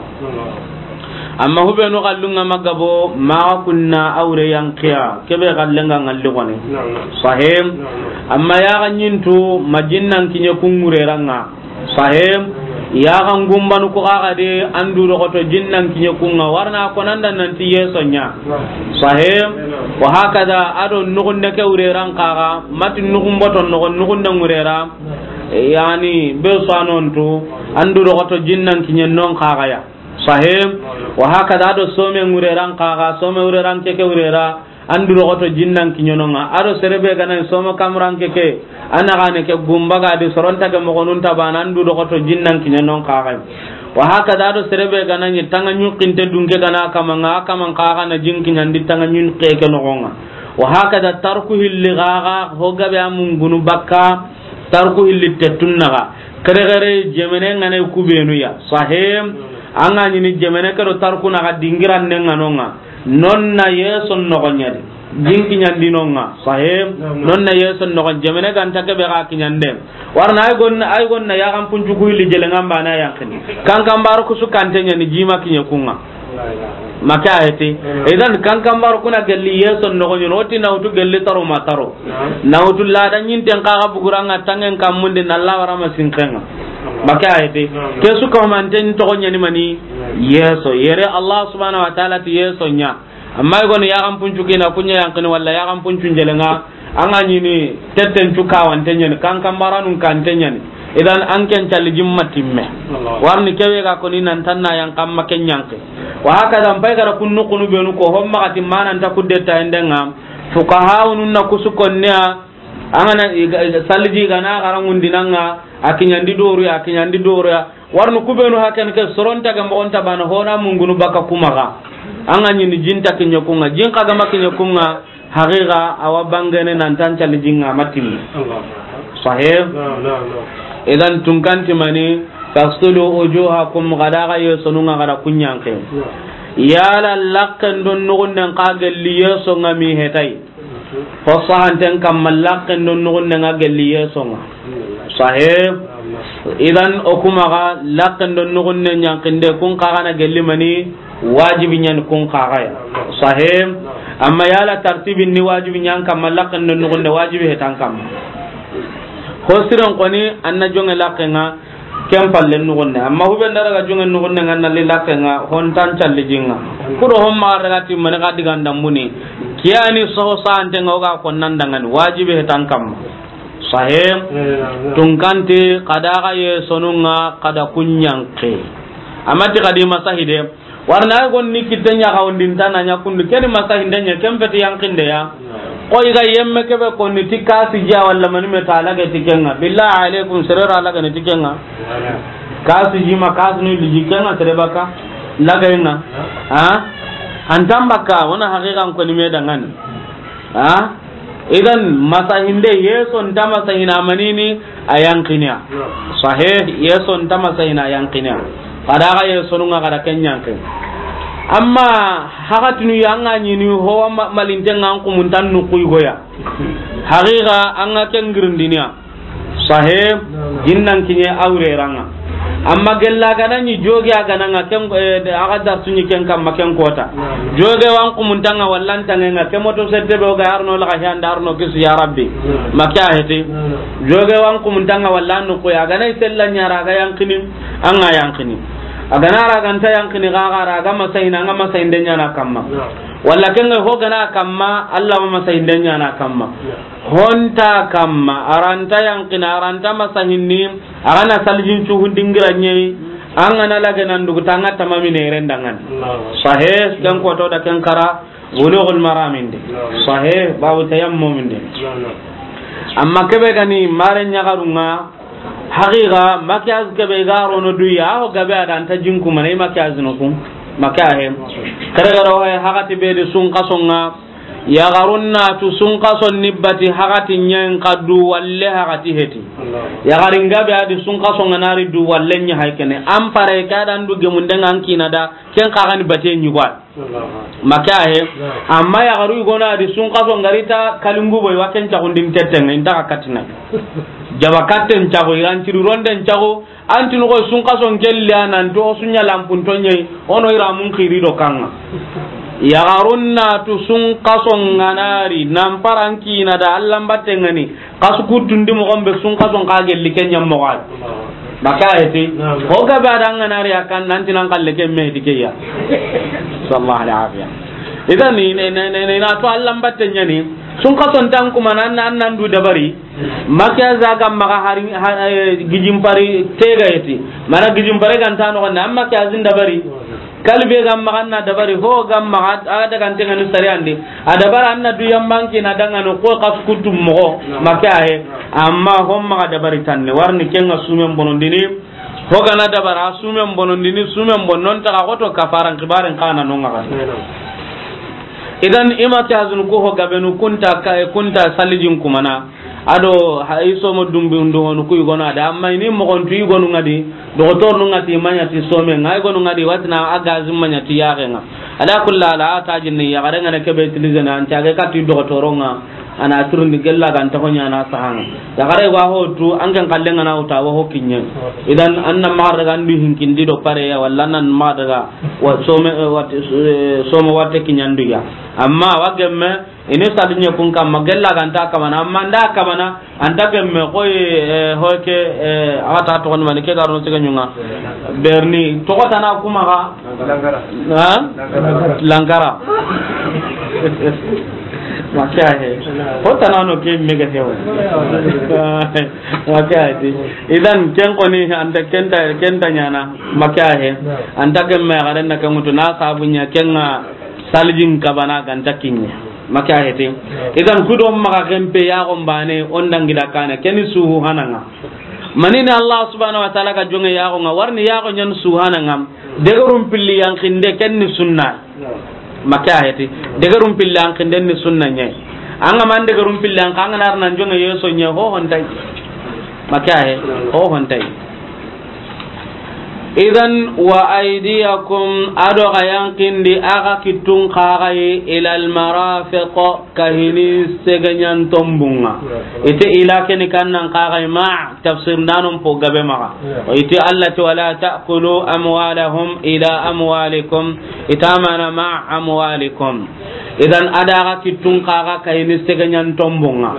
Amma hubenu kallun ŋa magabo, maxa kunna awre yankiya, kebe kallen ŋa ŋalli gone. Sahih. Amma ya ga ɲintu, majinnan kiɲe kun ŋurera ŋa. Sahih. Ya ga ngumbanu ko ga ga de, an du doxoto jinnan kiɲe kun ŋa, warna ko nan da nanti yeso ɲa. Sahih. Wa hakada, a do nugunde ke wurera n kaga, mati nugun boto noxon, nugunde ŋurera. Yani, be so a nontu, an du doxoto jinnan kiɲe non kaga ya. Sahih. Wa hakada, a do some ŋurera n kaga, some wurera n ke ke wurera. An du doxoto jinnan kiɲe non ŋa. A do sere be ga na ni somo kamuran ke ke, a na ga ne ke gumba ga di soron tage moxonun ta bana, an du doxoto jinnan kiɲe non kaga. Wa hakada, a do sere be ga na ni tanga ɲukkinte dunke ga na kaman ŋa, a kaman kaga na jin kiɲandi tanga ɲukke ke noxon ŋa. Wa hakada, tarku hilli gaga ho gabe a mungunu bakka, tarku hilli tettun naga. Kere kere jemene ŋa ne kubenu ya. Sahih. An ga ɲi ni jemene ke do tarku naga dingiran ne ŋa non ŋa. Non na yeson noxon ɲa di. Jin kiɲandi non ŋa. Sahih. Non na yeson noxon jemene ga nta kebe ga kiɲande. Warna ay gon, ay gon na ya ga n puncu ku hilli jele ŋa n bana yankini. Kan kan baro kusu kante ɲa ni jima kiɲe kun ŋa. Make a heti. Idan kan kan baro kuna gelli yeson noxon ɲa, o ti na wutu gelli taro ma taro. Na wutu lada ɲinten kaga bugura ŋa tangen kammundi na la wara ma sinken ŋa. Make a heti. Ke su ka manten toxo ɲa ni mani. Yeso, yere Allah subhanahu wa ta'ala ti yeso ɲa. Amma i goni yaxan puncu kina kuɲa yankini walla yaxan puncu njelenga, an ga ɲini tetten cu kawante ɲani, kan kambaranun kante ɲani. Idan an ken calli jimma timme. Warni kewe ga koni nan tanna yankan ma ken yanki. Wa hakaza, n pay gara kunnu kunu benu ko, hon maxati mananta kudde tayendenga. Fuqahaunun na kusu konneya, An ga na i ga, i ga, salliji ga na xarangundinanga, a kiɲandi doruya, a kiɲandi doruya. Warnu kubenu haken ke soronta ga moxonta bana hona mungunu baka kumaxa. An ga ɲini jinta kiɲe kunga, jin xa ga ma kiɲe kunga, haqiqa awa bangene nan tan callijinga matin. Sahih? Naam, naam, naam. Idan tunkanti mani, taghsilu wujuhakum, gada ga yesonunga gada kunyanke. Naam. Yala lakken don nugunden xa gelli yesonga mi hetay. Ho sahanten kamma lakken don nugunden ga gelli yesonga. Sahih. Idan o kuma ga lakken don nugunden yankinde kun xa ga na gelli mani wajibi ɲan kun xa ga ya. Sahih. Amma yala tartibin ni wajibi ɲan kamma lakken don nugunde wajibi hetan kamma. Ho siren koni anna jonge lakkenga. Ken palle nugunne. Amma hube ndara ga jonge nugunne nga nalli lakkenga, hon tan calli jinga. Kudo hon ma daga timmani ga diga ndambuni. Kiyani soho sante nga oga ko nan dangani. Wajibi hetan kamma. Sahih. Tunkanti, kada ga yesonunga, kada kunyanke. Amati kadi masahide. Warna ay gonni kitte ɲa xawundinta na ɲa kundu, keni masahinde ɲa, ken feti yankinde ya. Ko i ga yemme kebe konni ti kasi jiya walla mani me ta lage ti kenga. Billahi alaikum, sere ra lage ne ti kenga. Kasi jima, kasi ni liji kenga, sere baka lage nga. Ha? Antan baka, wana haqiqan koni me dangani. Ha? Idan masahinde yeso nta masahina manini, A yanqini ya. Sahih, yeso nta masayini a yanqini ya. Xa da ga yesonun ŋa, xa da ken yanqini. Amma haxatinu ya, an ga ɲini ho wa ma-, malinten ŋa, an kumuntan nuxu yigo ya. Haqiqa, an ga ken girindini ya. Sahih, jinnan kiɲe awre ranga. Amma gella ga na ɲi joge a ga na ŋa ken, eh, a ga darsu ɲi ken kamma ken kota. Joge wa an kumuntan ŋa walla an tangen ŋa, ke moto sette be o ga arno la ga handa arno kisu ya Rabbi. Ma ke a heti. Joge wa an kumuntan ŋa walla an nuxu ya, a ga na i sella ɲa ra, a ga yanqini, an ga yanqini. A ga na ra, a ga nta yanqini, ga ga ra, a ga masayini, an ga masayinde ɲaana kamma. Walla ken ga ho ga na kamma, Alla ma masayinde ɲaana kamma. Ho nta kamma, a ra nta yanqini, a ra nta masayini, a ga na salijin cuhun dingira ɲeyi, an ga na lage nan dugu ta, an ga tamami ne ren dangan. Sahih, ken koto da ken kara, Bulughul Maram inde. Sahih, babu tayammum inde. Amma kebe ga ni mare ɲaxarun ŋa, haqiqa, maquillage kebe ga rono du ya, ho gabe a da nta jinku mane maquillage no kun. Maquillage. Kare ga ro he, haxati be di sunxason ŋa, yaxarun na tu sunxason ni bati haxati ɲen xa du walle haxati heti. Yaxarin gabe a di sunxason ŋa na ri du walle ɲa hay kene. An pare ka da an du gemunden ŋa an kina da, ken xa ga ni bate ɲi kwa. Ma ke a he. Amma yaxaru yigo na di sunxason ŋa ri ta kalingu boy wa ken caxundin tetten ŋa, inta xa katina. Jaba katten caxu, iran ciri ronden caxu, an tinu ko sunxason kelli a nan to su ɲa lampun to ɲeyi, o no ira mun xiri do kan ŋa. Yaxarun na tu sunxason ŋa na ri, nan paran kina da Alla mbatten ŋa ni, Xasu kuttundi moxon be sunxason xa gelli ke ɲa moxo a yi. Baka eti. Naam. Ho gabe a da an ga na ri a kan nan ti nan xalle ke me di ke ya. Sallallahu alaihi afiya. Idan ni, ne, ne, ne, ne, na to Alla mbatte ɲa ni. Sunxason tan kuma nan, nan, nan du dabari. Maquillage ga maxa hari, ha, eh, gijin pari tega eti. Mana gijin pare ga nta no na maquillage dabari. Kalbe ga maxa na dabari, ho ga maxa, a daga nte ŋa ni sariyan di. A dabara an na du yamban kina da ŋa no ko xasu kuttu moxo, ma ke a he. Amma ho maxa dabari tanne, warni ken ŋa sumen bonondini. Ho ga na dabara sumen bonondini, sumen bon non ta ga xoto kafaran xibaren xa na no ŋa ga. Idan i maquillage nu ko ho gabenu kunta ka, kunta salijin kumana. Ado ha, i somo dumbi ndu honu ku yigonu a da, amma i ni moxon tu yigonu ŋa di, doxotor nu ŋa ti ma ɲa ti some ŋa, yigonu ŋa di watina a gazi ma ɲa ti yaxe ŋa. A da kulla la a ta jinni yaxare ŋa ne kebe utiliser na an cage ka ti doxotoro ŋa, a na turundi gella ga nta ho ɲa na saha ŋa. Yaxare wa ho tu an ken xalle ŋa na wuta wa ho kiɲe. Idan an na maxa daga an du hinkindi do pare ya, walla an na maxa daga wa some, eh, wat-, eh, some watte kiɲandu ya. Amma wa gemme, Ini saliɲe kun kamma, gella ga nta kamana, amma nda kamana, an ta gemme koy, eh, hoy ke, eh, a ga ta toxon mani ke ga ro no sege ɲu ŋa. Berni, toxo tana kuma ga. Lankara. Ha? Lankara. Lankara. Ma ke a he. Ho tana no ke me ga hewo. Ma ke a he. Idan ken koni an ta ken ta, ken ta ɲana. Ma ke a he. An ta gemme ga ren na ke ŋutu na sabu ɲa ken ŋa. Salijin kabana ga nta kiɲe. Ma ke a hete. Idan kudo maxa kempe yaxon bane, o n dangi da kane, keni suhu hana ŋa. Manini Allah subhanahu wa ta'ala ga jonge yaxon ŋa, warni yaxon ɲan suhu hana ŋa. Degerun pilli yanqinde kenni sunna. Ma ke a hete. Degerun pilli yanqinde ni sunna ɲe. An ga man degerun pilli yanqa, an ga na ri nan jonge yeso ɲe, ho hontay. Ma ke a he, ho hontay. Idan, wa aydiyakum, ado ga yanqindi a ga kittun xa ga yi, ilal marafiq, kahini segeɲan tombun ŋa. Ite ila keni kannan xa ga yi ma tafsir nanon po gabe maxa. Ite Allah ti wala ta'kulu amwalahum ila amwalikum, ita mana ma amwalikum. Idan, a da ga kittun xa ga kahini segeɲan tombun ŋa.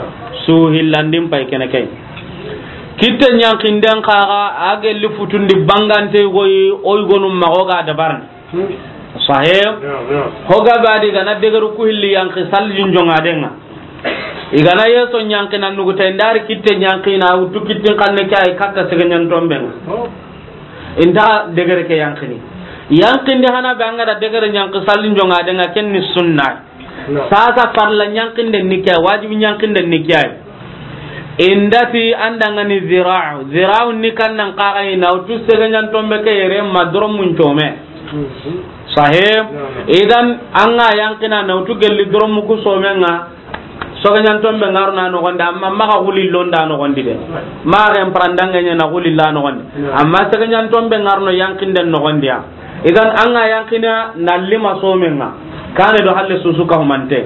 Su hillandin pay kene kay. Kitte ɲankinden xa ga, a gelli futundi bangante goyi, o yigonu maxa o ga dabarni. Sahih. Ho ga badi ga na degeru ku hilli yanqi salijin jongaden ŋa. I ga na yeso ɲanqi na nugu tay ndari kitte ɲanqi na wutu kittin xanne ke ay katta segeɲan tomben ŋa. Inta degere ke yanqini. Yanqinde hana be an ga da degere ɲanqi salijin jongaden ŋa kenni sunna. Sasa farla ɲankinden ni ke, wajibi ɲankinden ni ke ay. Indati an da ŋa ni zira'u. Zira'u ni kannan xa ga yi na wutu segeɲan tombe ke yere ma doromun come. Sahih. Idan an ga yanqina na wutu gelli doromu ku somen ŋa. Sege ɲantombe ŋa ro na noxondi, amma maxa xulillo nda noxondi de. Maxa ken parandange ɲa na xulilla noxondi. Amma sege ɲantombe ŋa ro no yankinden noxondi ya. Idan an ga yankina na lima somen ŋa. Kane do halle susu ka humante.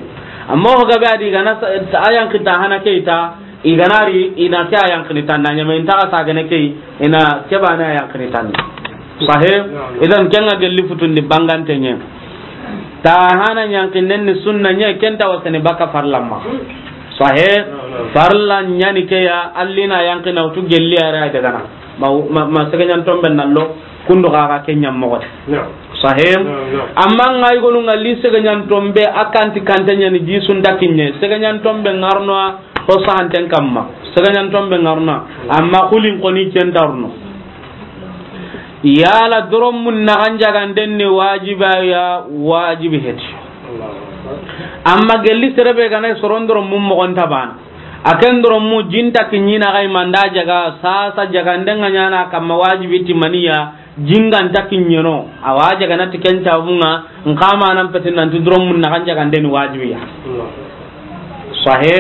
Amma o gabe a di gana sa-, a yanki ta hana ke ita, i gana ri, i na ke a yankini tan na ɲame, i nta xa sagene ke, i na ke bane a yankini tan. Sahe? Idan ken ga gelli futundi bangante ɲe. Ta hana yankinden ni sunna ɲe, ken ta wasani baka farlamma. Sahe? Farla ɲani ke ya, allina yankina wutu gelli ara daga na. Ma, ma, ma sege ɲantombe nallo, kundu xa xa ke ɲammoxo. Sahe? Amma ŋa i gonu ŋa li sege ɲantombe, a kanti kante ɲani ji sunda kinɲe. Sege ɲantombe ŋa ro no, o sahanten kamma. Sege ɲantombe ŋa ro no. Amma xulin xoni ken ta ro no. Yala doromun naxan jaganden ni wajiba ya, wajibi heti. Amma gelli serebe gana soron doromun moxon ta bana. A ken doromu jinta kiɲina xa i manda jaga, sasa jaganden ŋa ɲana kamma wajibi timaniya, jinganta kiɲeno, a wa jagana ti ken cabunga, nka manan peti nanti doromun naxan jaganden ni wajibiya. Sahe?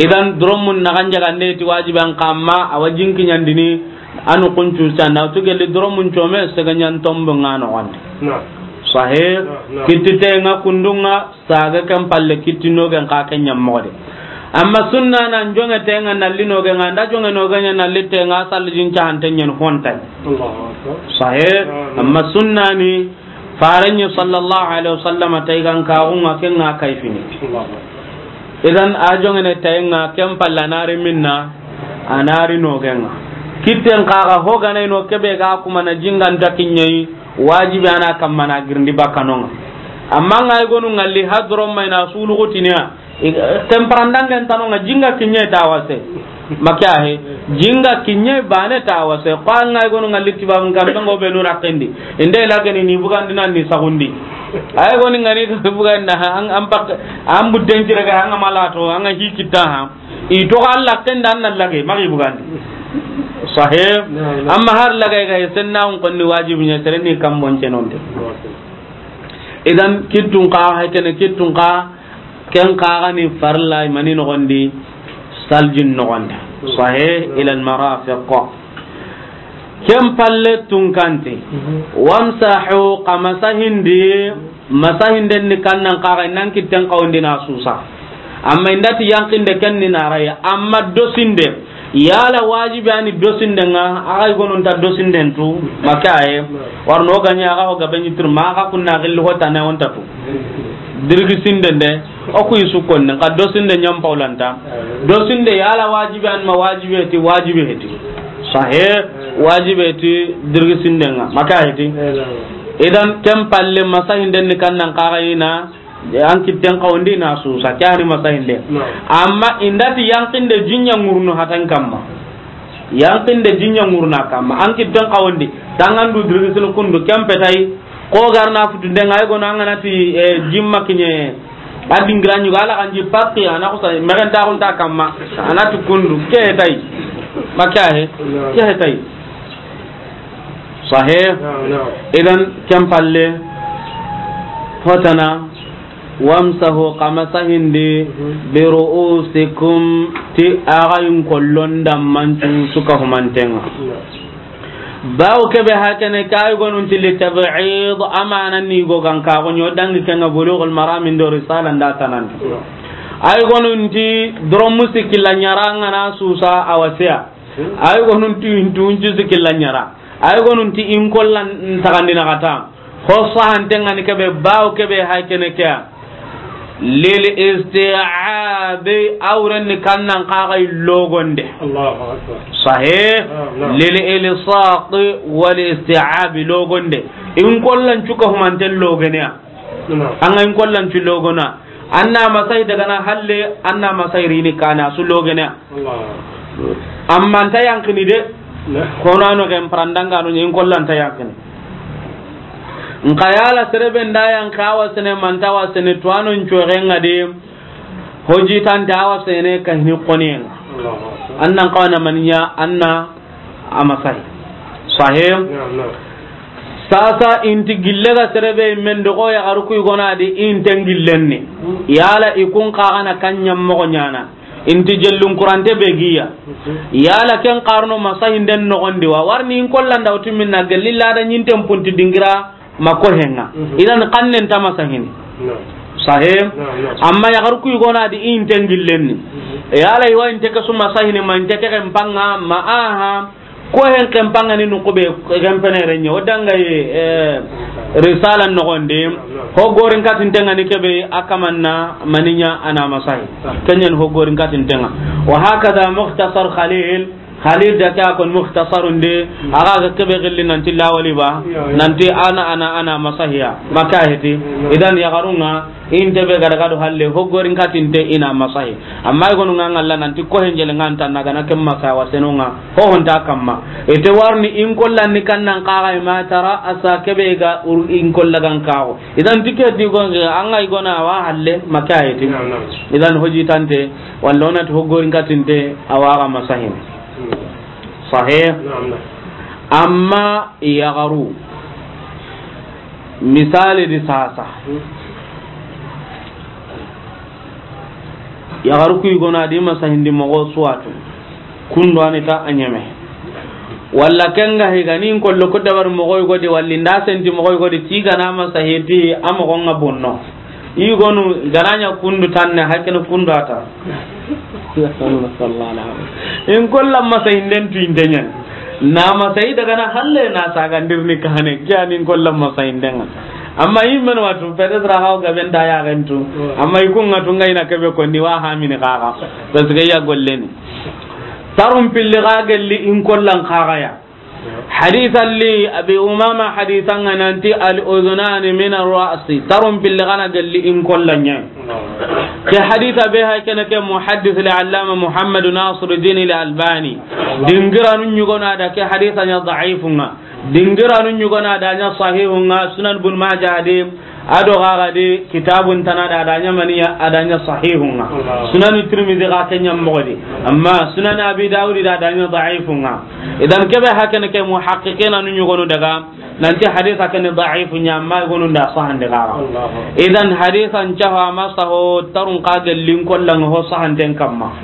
Idan doromun naxan jagande ti wajibi an kamma, a wa jin kiɲandini, anu kuncu sanda, tu gelli doromun come, sege ɲantombe ŋa noxondi. Sahe? Kittite ŋa kundunga, Saga ken palle kitti nogen xa ke ɲammoxo de. Amma sunna na joŋe tenga nalli nogen ŋa, nda joŋe nogen ɲa nalli tenga, sallijin cahante ɲen hontay. Sahe, amma sunna ni farenye sallallahu alaihi wasallam taygan kaxunga ken ŋa kayfini. Idan a joŋene tayenga ken palle a nari minna, a nari nogen ŋa. Kitten xa ga hoganay no kebe ga kuma na jinganta kiɲeyi, wajibi ana kamma na girindi bakkanonga. Amma ŋa i gonu ŋalli hadro mayna suluxutiniya, temperandangen tanonga jinga kiɲe ta wase. Make ahe, jinga kiɲe bane ta wase. Ko ŋa i gonu ŋalli tibabun kambe ngo be nura kendi. Inde lagani ni bugandi nan ni sagundi. Ay goni ŋani bugandi an, an pak, an budden kira ga an malato, an hikita ha. I to Allah kenda an lage, magi bugandi. Sahe. Amma har lage ga senna on konni wajibi ɲa sereni kambon cenonte. Idan kittun xa, hay kene kittun xa, ken xa ga ni farla mani noxondi, saljin noxondi. Sahe, ila al marafiq. Ken palle tunkante. Wamsahu, xa masahindi, masahinden ni kannan xa ga nan kitten xawndi na susa. Amma indati yankinde ken ni na raya. Amma dosinde, yala wajibi ani dosinde ŋa, a ga i gonunta dosinden tu, make aye. Warno ganya a ga ho gabe ɲitir ma a ga kunna gilli hotane onta tu. Dirgi sinden de, o ku yi su konne, nka dosinde ɲam paulanta. Dosinde yala wajibi an ma wajibi heti, wajibi heti. Sahe, wajibi heti, dirgi sinden ŋa, make heti. Idan ken palle masahinden ni kannan xa ga ina, an kitten xawndi na susa, ke ani masahinde. Amma indati yankinde jinya ŋurnu hatan kamma. Yankinde jinya ŋurna kamma. An kitten xawndi, tangandu dirgi sinu kundu, ken petay, Ko garna futu de ŋa, ay gono an ga na ti, eh, jimma kiɲe, a dingira ɲugo, ala kan ji pakki, a na xusa, mexen ta xunta kamma, a na ti kundu, ke tay. Make ahe, ke tay. Sahe. Idan, ken palle, hotana, wamsahu, xa masahindi, bi ru'usikum, ti a ga yin kollon dammancu su ka humanten ŋa. Bawo kebe hakene ke ay gonunti li tab'id, amana ni go gan ka go ɲo dangi ken ŋa Bulughul Maram ndo Risala nda tanandi. Ay gonunti doromu sikilla ɲara ŋa na susa a wasiya. Ay gonunti intu unju sikilla ɲara. Ay gonunti in kollan tagandina kata. Ho sahanten ŋa ni kebe, bawo kebe hay kene ke ya. Lil isti'abi, awren ni kannan xa ga i logonde. Allahu Akbar. Sahe. Naam, naam. Lil ilsaq wal isti'abi logonde. In kollan cuka humanten logene ya. Naam. An ga in kollan cu logona. Anna masai daga na halle, anna masai rini kana su logene ya. Allah. Amma nta yankini de. Naam. Kono ano ken parandanga no in kollan ta yankini. Nka yala serebe nda yan kawa sene, manta wa sene, tuwano ncoxenga de. Hoji tanta awa sene ka hini xoniyenga. Allahu Akbar. Annan kawana maniya, anna amasai. Sahih. Naam, naam. Sasa inti gille ga sere be men do ko yaxaru ku i gona di inten gillen ni. Yala i kun xa gana kan ɲa moxo ɲana. Inti jellun kurante be giya. Yala ken xarno masahinden noxondi wa. Warni in kollanda wutu minna gelli lada ɲinten punti dingira ma ko henga. Idan xannen ta masahini. Sahe. Amma yaxaru ku i gona di inten gillen ni. Yala i wa inte ke su masahini ma inte ke ken panga ma aha. Ko hen ken panga ni nuku be ken pene renye. O danga yi, eh, risala noxondi. Ho gorin katintenga ni kebe akamanna maninya ana masahi. Kenyan ho gorin katintenga. Wa hakada Mukhtasar Khalil. Khalil da ka kon Mukhtasarun de. Aga ga kebe gilli nanti lawali ba. Nanti ana, ana, ana masahiya. Maka heti. Idan yaxarunga. Inte be gada gado halle, ho gorin katinte ina masahi. Amma i gonu nga ngalla nanti ko henjele nga nta na gana ken masa wa senunga, ho honta kamma. Ite warni in kollan ni kannan kaga ma tara asa kebe ga ur in kolla gan kago. Idan tike di gonge, anga i gona wa halle, makayiti. Idan hoji tante, walla onati ho gorin katinte, awaga masahin. Sahih? Amma yaxaru. Misali di sasa. Yaxaru ku i gona di masahindi moxo suwatu. Kundu ani ta a ɲeme. Walla kenga higani in kollo ku dabar moxo i godi, walli nda senti moxo i godi, ti gana masahiti a moxo nga bonno. I gonu garanya kundu tanne, hakene kundu ata. In kollan masahinden tu intenyan. Na masahi daga na halle na saga ndirni kahane. Kiya ni in kollan masahinden. Amma i men watu, peut-être haw gaben da ya gentu. Amma i kunga tunga ina kebe ko ni wa hamini kaga. Parce que ya golleni. Tarum pilli ga gelli in kollan kaga ya. Haditha li Abi Umama haditha nga nanti al udhunani min ar ra'si. Tarum pilli gana gelli in kollan ɲa. Ke haditha be hay kene ke muhaddith al allama Muhammad Nasiruddin al Albani. Dingiranu ɲugona da ke haditha ɲa da'ifun nga. Dingiranu ɲugona da ɲa sahihun nga Sunan Ibn Majah de. Ado gaga di kitabun tana da adanya maniya adanya sahihun nga. Sunan Tirmidhi ga kenya mogodi. Amma Sunan Abi Dawud da adanya da'ifun nga. Idan kebe hakene ke muhaqqiqina nu ɲugonu daga nanti haditha kene da'ifun ɲa amma gonu nda sahande gaga. Idan hadithan caha masaho tarun ka gellin kollan ho sahanten kamma.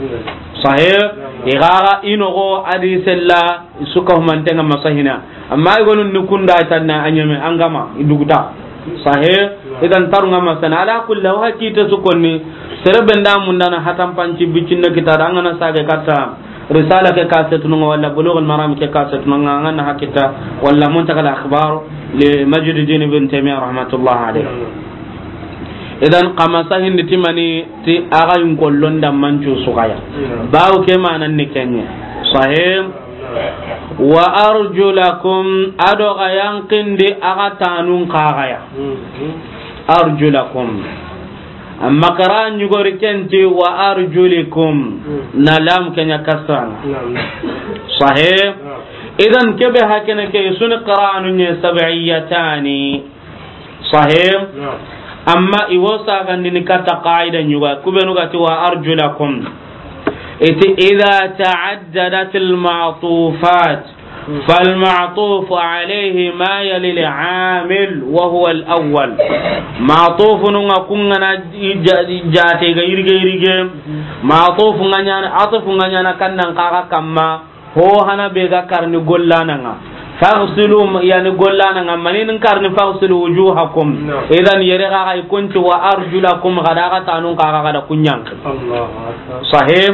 Sahih igaga inogo adi sella suka humantenga masahina. Amma gonu ni kunda tanna anyame angama iduguta. Sahih. Idan tarunga masana ala kulli wa hakita su konni. Sere benda mundana hatan panci bicinna kita da angana sage katta risala ke kasetununga wala Bulughul Maram ke kasetununga angana hakita wala Muntaqa al Akhbar li Majduddin Ibn Taymiyyah rahmatullah alayh. Idan kama sahin di timani ti aga in kollon da mancu sugaya. Bawo ke manan ni kenye. Sahih. Wa arjulakum, ado ga yanqindi aga tanun kagaya. Arjulakum. Amma qira'an ɲugori kenti wa arjulikum. Na lam kenya kasran. Sahih. Idan kebe hakene ke suni qira'anu nye sab'iyatani. Sahih. Amma iwo sagandini katta qaida ɲuga kubenu gati wa arjulakum. Iti idha ta'addadat al ma'tufat fal ma'tuf alayhi ma yali al amil wa huwa al awwal. Ma'tufununga kungana jate ga irige irige. Ma'tufunga nyana, atufunga nyana kannan kaga kamma. Ho hana be ga karni gollananga. Faghsilu, yani gollananga. Manin karni faghsilu wujuhakum. Idan yere ga ay kunti wa arjulakum gada ga tanun ka ga da kunyan. Sahih.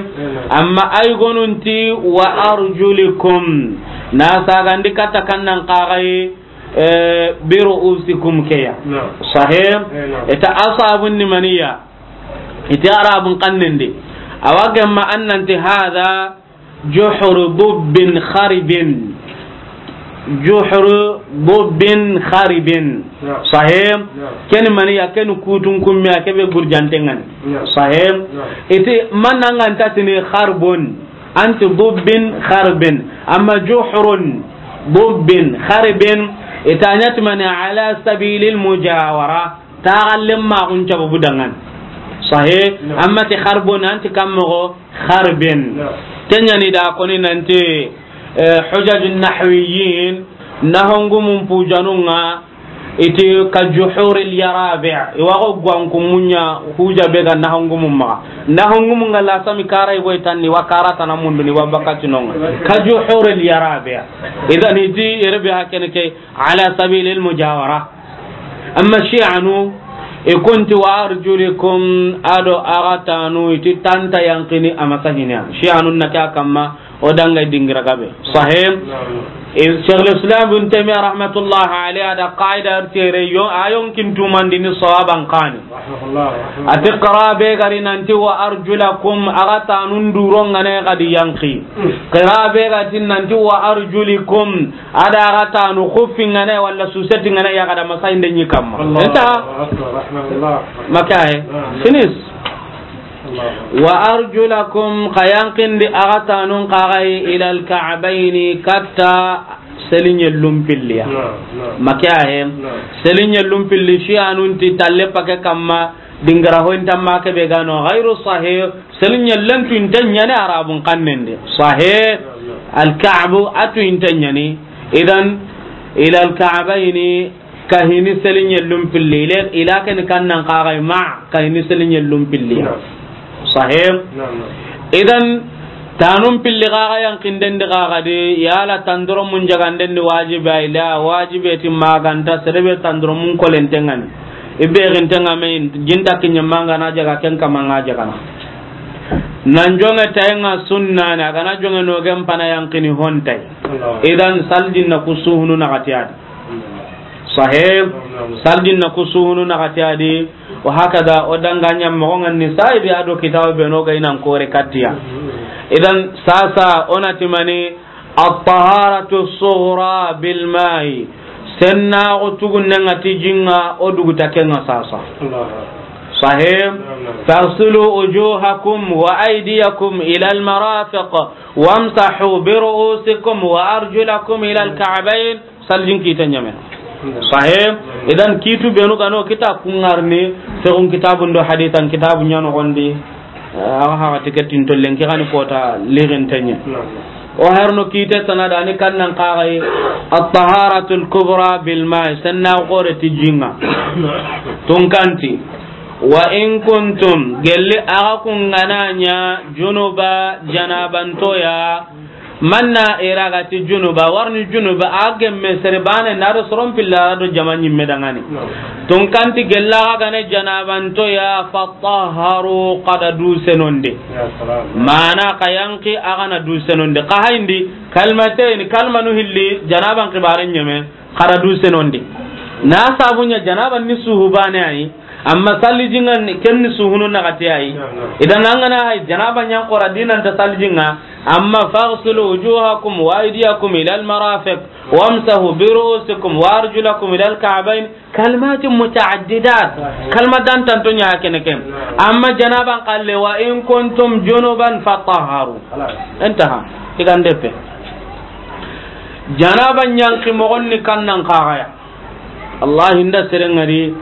Amma ay gonunti wa arjulikum. Na sagandi kata kannan ka ga, eh, bi ru'usikum keya. Sahih. Eta asabun ni maniya. Ita arabun kannende. Awagemma annanti hada juhru dubbin kharibin. Juhru dubbin kharibin. Sahih. Ken mani ya ken kutun kummi a kebe gurjantengan. Sahih. Iti mananga antatini kharbun. Anti dubbin kharbin. Amma juhrun dubbin kharibin. Itanyat mani ala sabilil mujawara. Taxallen maxun cababu dangan. Sahe. Amma ti xarbon anti kammoxo xarben. Kenyani da koni nanti, eh, hujajun nahwiyin Nahongumun pujanun ŋa, i ti ka juhuril yarabi', i wa xo gwanku munya huja be ga nahongumun maxa. Nahongumun ŋa la sami kara i boy tanni, wa kara tana munduni, wa bakati no ŋa. Ka juhuril yarabi'. Idan i ti yere be hakene ke ala sabilil mujawara. Amma Shi'anu, i kunti wa arjulikum, a do a ga tanu, i ti tanta yanqini a ma sahina. Shi'anu na ke a kamma, o danga dingira gabe. Sahih? Naam. E, Shaykhul Islam Ibn Taymiyyah rahmatullahi alayhi a da qaida tere yo, a yonkin tumandini sawaban kani. Rahmatullah, rahmatullah. A ti qira be ga ri nanti wa arjulakum, a ga tanun duron ŋa ne ga di yanqi. Mm. Qira be ga ti nanti wa arjulikum, a da a ga tanu xuffin ŋa ne wala susetin ŋa ne ya ga da ma sahinde ɲi kamma. Allahu akbar, rahmatullah. Ma ke a yi. Naam. Finis. Wa arjulakum, xa yanqindi a ga tanun xa ga yi, ilal ka'bayni, katta seliɲellun pilli ya. Naam, naam. Ma ke a yi. Naam. Seliɲellun pilli, Shi'anun ti talle pake kamma, dingira hoyinta ma ke be ga no, ghayru sahih, seliɲellen tu inte ɲani Arabun xannen di. Sahih, naam, naam. Al ka'bu a tu inte ɲani. Idan, ilal ka'bayni, Ka hini seliɲellun pilli, ile, ila ken kannan xa ga yi ma, ka hini seliɲellun pilli. Naam. Sahih? Naam, naam. Idan, tanun pilli xa ga yanqinden di xa ga di, yala tandoromun jaganden di wajibi a yi la, wajibi ti ma ga nta, sere be tandoromun kolenten ŋa ni. I be xinten ŋa me, jinta kiɲe ma ŋa na jaga ken kama ŋa jagana. Nan jonŋe tayi ŋa sunna ni, a ga na jonŋe no gen pana yanqini hontay. Allah. Idan, saljin na ku suhunu na ga ti a di. Sahih. Saljin na ku suhunu na ga ti a di. Wa hakada, o danga ɲa moxo ŋa ni sayi be a do kitabu be no ga i nan kore katiya. Idan sasa o na ti mani at-taharatu sughra bil ma'i. Senna o tugunne ŋa ti jinŋa o duguta ke ŋa sasa. Allah. Sahih. Naam, naam. Faghsilu wujuhakum wa aydiyakum ila al-marafiq wamsahu bi ru'usikum wa arjulakum ila al-ka'bayn. Saljin kite ɲame. Sahih. Idan kitu benu ga no kita kungarni, segun kitabun do hadisan kitabu ɲa no gondi. Eh, awa haga tiketin tollen ki gani kota lirin tenye. O herno kite sanada ni kannan xa ga yi, at-taharatul kubra bil ma'i, senna gore ti jinŋa. Tunkanti, wa in kuntum, gelli a ga kun ga na ɲa junuba, janabantoya, Manna ira ga ti junuba, warni junuba, a gemme sere bane na do soron pilla do jama ɲimme dangani. Naam. Tunkanti gella ga ne janabantoya, fatahharu, xa da du senondi. Ya salam. Mana xa yanqi a ga na du senondi. Xa hayindi, kalmatayni, kalmanu hilli, janaban xibaren ɲeme, xa da du senondi. Na sabu ɲa janaban ni suhu bane ayi, Amma salli jinŋa ni, ken ni suhunu na ga ti a yi. Naam, naam. Idan an ga na hay janaba ɲan xora dinan ta salli jinŋa. Amma faghsilu wujuhakum wa aydiyakum ila al-marafiq wamsahu bi ru'usikum wa arjulakum ila al-ka'bayn. Kalimatin muta'addidat. Sahih. Kalima dantanto ɲa kene ken. Naam. Amma janaban xalle, wa in kuntum junuban fatahharu. Khalas. Intaha. Igan depe. Janaba ɲanki moxon ni kannan xa ga ya. Wallahi, nda seren ŋari,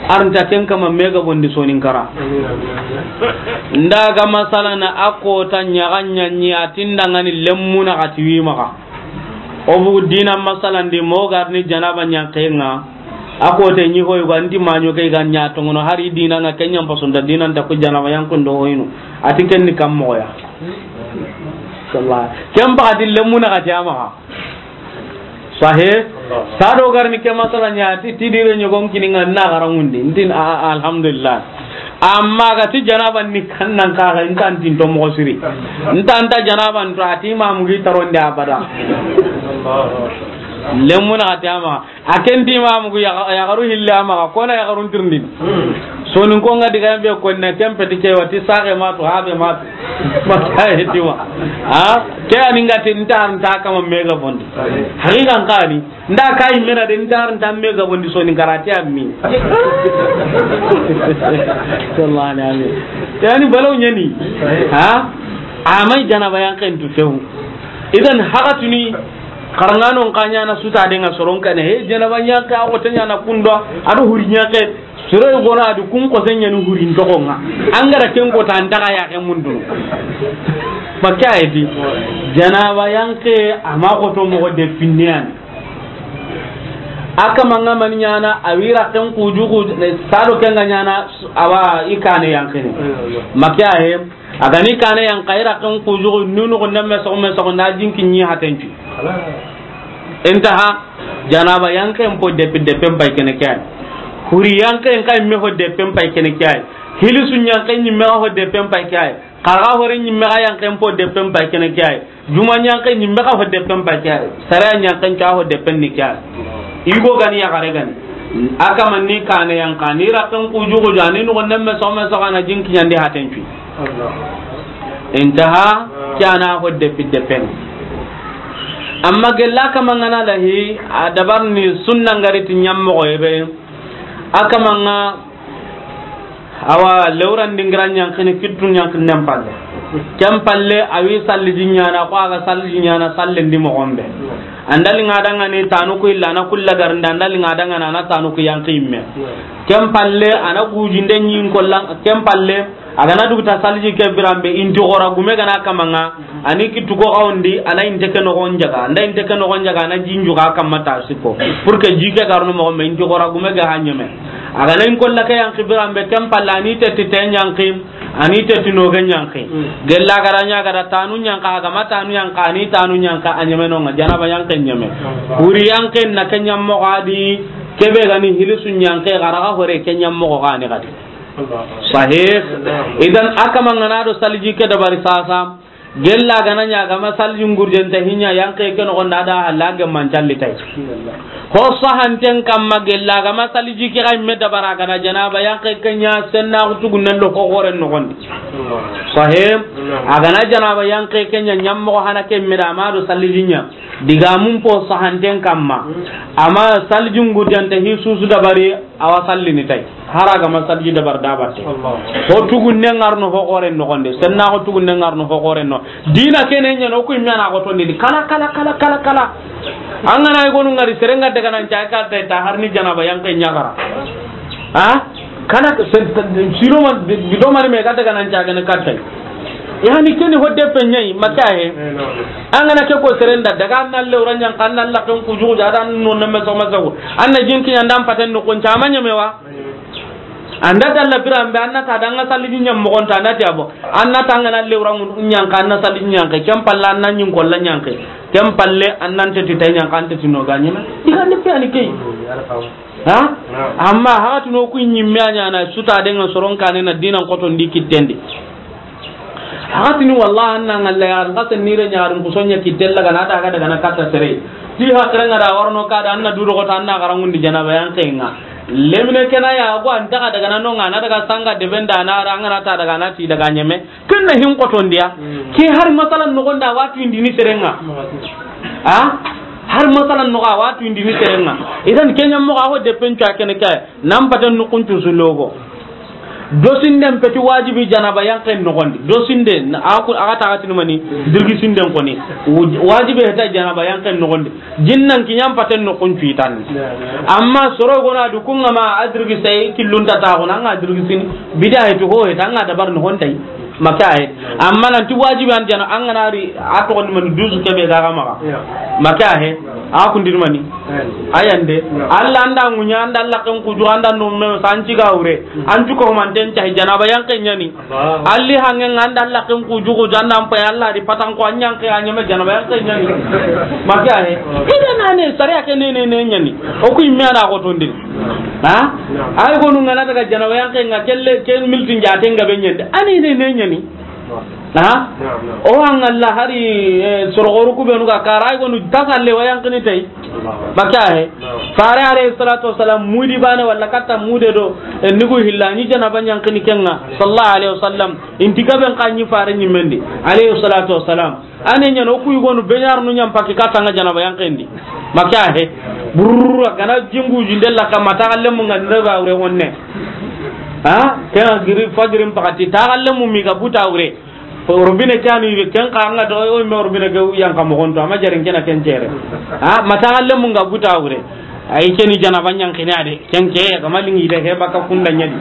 arnta ken kama mega bondi Soninkara. Nda ga masala na a kota ɲaga ɲaɲi, a ti nda ŋa ni lemmu na xa ti wi maxa. O bugu dina masalandi, mo ga ri ni janaba ɲanke ŋa. A kota ɲi hoy ga nti maɲo ke ga ɲa tongono, hari dina ŋa ken ɲa n paso nda dina nta ku janaba ɲanke ndo hoyno. A ti ken ni kam moxo ya. Wallahi. Ken ba a ti lemmu na xa ti a maxa. Sahih. Sado ga ri ni ke masala ɲa ti, ti dire ɲogon kini ŋa na xaranŋundi. Ntin, a, a, alhamdulillah. Amma ga ti janaba ni kannan xa ga, nta ntin to moxo siri. Nta, nta janaba nto, a ti mamu gi taronde abada. Lemmu na xa ti a maxa. A ken ti mamu gi ya, yaxaru hille a maxa, kona yaxarun tirindini. Soninko ŋa diga be ko na ken peti ke wa ti saxe ma tu, habe ma tu. Ma ke a yi ti wa. Ha? Ke a ni ŋa ti nta, nta kama mega bondi. Haqiqan xa ni. Nda ka yi mena de nta, nta mega bondi Soninkara ti a mi. Sallallahu alaihi. Yani balaw ɲani. Ha? Amay janaba ɲanken tu few. Idan haga tuni xaranŋanon xa ɲa na suta de ŋa soron kane. He, janaba ɲanke a xote ɲa na kunda. A do huri ɲanke. Soro gona du kun ko sen ɲani hurin toxo ŋa. An ga ra ken ko ta an daga ya ke mundu. Makka edi. Janaba ɲanke a ma xoto moxo de finne yani. A kama nga mani ɲaana, a wi raxen kujugu, sado ke nga ɲaana, awa i kaane yanqini. Maxa he, a ga ni kaane yanqa, i raxen kujugu, nunu ko nemme soxo me soxo, na jinki ɲi hatencu. Intaha, janaba yanqen po depi depen pay kene ke ay. Huri yanqen kay me ho depen pay kene ke ay. Hilisu yanqen ɲi me ho depen pay ke ay. Xaraxa hore ɲimme xa yanqen po depen pay kene ke ay. Juma yanqe ɲimme xa ho depen pay ke ay. Sare yanqen ca ho depen ni ke ay. I go gani yaxare gani. A kama ni kaane yanqa, ni raxen kujugu ja, ni nugo nemme soxo me soxo, a na jinki ɲandi hatencu. Intaha, ke a na ho depi depen. Amma gella kama nga na lahi, a dabar ni sunna ngari ti ɲammoxo yebe. A kama nga Awa, lewran dingira yanqini, kittu yanqini nen palle. Ken palle, a wi salliji ɲaana, ko a ga salliji ɲaana, sallen di moxo be. An da li nga dangani tanu ku illa, a na kulla garnda, an da li nga dangani, a na tanu ku yanqi yimme. Ken palle, a na gujinde ɲin kollan, ken palle, a ga na duguta salliji ke biran be, inti xora gume ga na kama nga, A ni kittu ko xawndi, a na inte ke noxon jaga, a nda inte ke noxon jaga, a na jinju ga kamma ta siko. Pour que ji ke garno moxo me, inti xora gume ga ha ɲeme. A ga na in kolla ke yanqi biran be, ken palle a ni tetti te yanqi, a ni tetti no ge yanqi. Gella ga ra ɲa ga ra tanu yanqa, a ga ma tanu yanqa, a ni tanu yanqa, a ɲeme no nga, janaba yanqe ɲeme. Wuri yanqe na ke ɲammoxo a di, kebe ga ni hilisu yanqe, ga ra ga hore ke ɲammoxo ga ni ga di. Sahih. Idan a kama nga na do salliji ke dabari sasa. Gella ga na ɲa ga ma salliji ngurjente hi ɲa yanqe ke noxon da, da halla ge man calli tay. Ho sahanten kamma gella ga ma salliji ke ga me dabara ga na janaba yanqe ke ɲa senna xutu gunnen do ho xoren noxon di. Sahih. A ga na janaba yanqe ke ɲa ɲammoxo hana ke me da ma do salliji ɲa. Diga mun po sahanten kamma. Amma salliji ngurjente hi susu dabari. Awa sallini tay. Hara ga ma salliji dabar da batte. Ho tugunne ngarno ho xoren noxon de. Senna ho tugunne ngarno ho xoren no. Dina kene ɲa no ku imana ko tondi kala, kala, kala, kala, kala. An ga na i gonu ngari serenga daga nan ca ka tay ta har ni janaba yanqe ɲa ga ra. Ha? Kana sen, sino man, bido mani me ga daga nan ca ga ne ka tay. Yani keni ho depe ɲa yi, maxa he. An ga na ke ko serenda, daga an na lewra yanqa, an na laxen kujugu ja, an na no nemme soxo me soxo. An na jinki ɲa an da an paten noxon ca ma ɲeme wa. An da dalla biran be, an na ta da an ga salliji ɲammoxon ta, an na ti a bo. An na ta an ga na lewra yanqa, an na salliji yanqe. Ken palle an na ɲin kolla yanqe. Ken palle an na tetti tay yanqa, an tetti no ga ɲeme. I ga ni pe ani ke yi. Ha? Amma haxatino ku ɲimme a ɲaana suta denga soron kane na dinan xotondi kittendi. Haxatini wallahi an na ngalla ya, an xasen nire ɲarin kusonya kittella ga na daga daga na katta sere. Ti haxrenga da warno ka da an na duro xota an na garangundi janaba yanqe nga. Lemine kena ya go an taga daga na nonga na daga sanga debenda na ranga na ta daga na ti daga ɲeme. Ken na hin xotondiya. Ke har masalan noxon da wa tuyindini serenga. Ha? Har masalan noxo a wa tuyindini serenga. Idan ke ɲammoxo a ho depen cu a kene ke. Nan paten noxon cu su logo. Dosinden peti wajibi janaba yanqen noxon di. Dosinde, a ku, a ga taxatini mani, dirgisinden koni. Wajibi heta janaba yanqen noxon di. Jinnan kiɲan paten noxon cu i tanni. Amma soro gona du kunga ma a dirgise killunta taxuna, an ga dirgisini. Bida hetu ho heta, an ga dabar noxon tay. Maxa he. Amma nan ti wajibi an jana, an ga na ri a toxondi mani dusu kebe ga ga maxa. Maxa he. A kundini mani. Ayande. Alla an da ŋuɲa, an da laxen kuju, an da no me sanci ga wure. An ju ko manten tahi janaba yanqe ɲani. Alli hangen an da laxen kuju ko janda an pay Alla di patan ko an yanqe a ɲeme janaba yanqe ɲani. Maxa he. Idan ane sariya ke ne ne ne ɲani. O ku imme a da xotondi. Ha? Ay gonu ngana daga janaba yanqe nga kelle, ken miltin jaten ga be ɲande. Ani ne ne ɲani. Ha? O angalla hari, eh, sorogoru ku benu ga kara ay gonu tasalle wa yanqini tay. Maxa he. Fare alayhi salatu wassalam mudi bane wala katta mude do, eh, nigu hilla ni janaba yanqini kenga. Sallallahu alayhi wasallam. Inti gaben kanyi fare ni mendi. Alayhi salatu wassalam. Ane ɲano ku yugonu benyar nu ɲam paki katanga janaba yanqendi. Maxa he. Burra kana jingu jindella kama taxallemu nga nda ba wure wonne. Ha? Kena giri fajirin pakati taxallemu mi ga buta wure. Robine kani ken ka nga do o me robine ga yanqa moxon to, ama jarin kena ken cere. Ha? Ma taxallemu nga buta wure. Ay keni janaba yanqini a de. Ken ke ga malingi de he baka kunda ɲadi.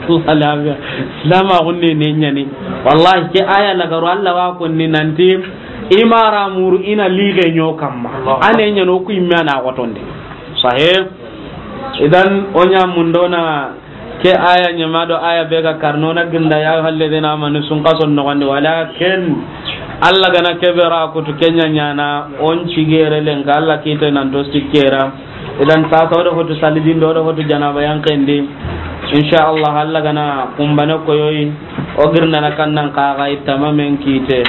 Alhamdulillah. Silama gunne ne ɲani. Wallahi ke aya lagaru Alla wa konni nanti imara muru ina lige ɲo kamma. Ane ɲano ku imme a na xotonde. Sahih. Idan, o ɲa mundona ke aya ɲama do aya be ga karno na ginda ya ayyuhalladhina amanu sun kason nogondi, walakin Allah gana kebe ra kutu kenya ɲana, o n cigere lenka Allah kite nan to sikkera. Idan, sasa o do hotu salidin do, o do hotu janaba yankendi. Insha Allah, Allah gana kumbane koyoyi, o girndana kannan kaga itama men kite.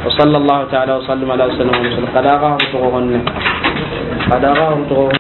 Wa sallallahu ta'ala wa sallam ala sayyidina Muhammad. Kada ga hotu ko honne. Kada ga hotu ko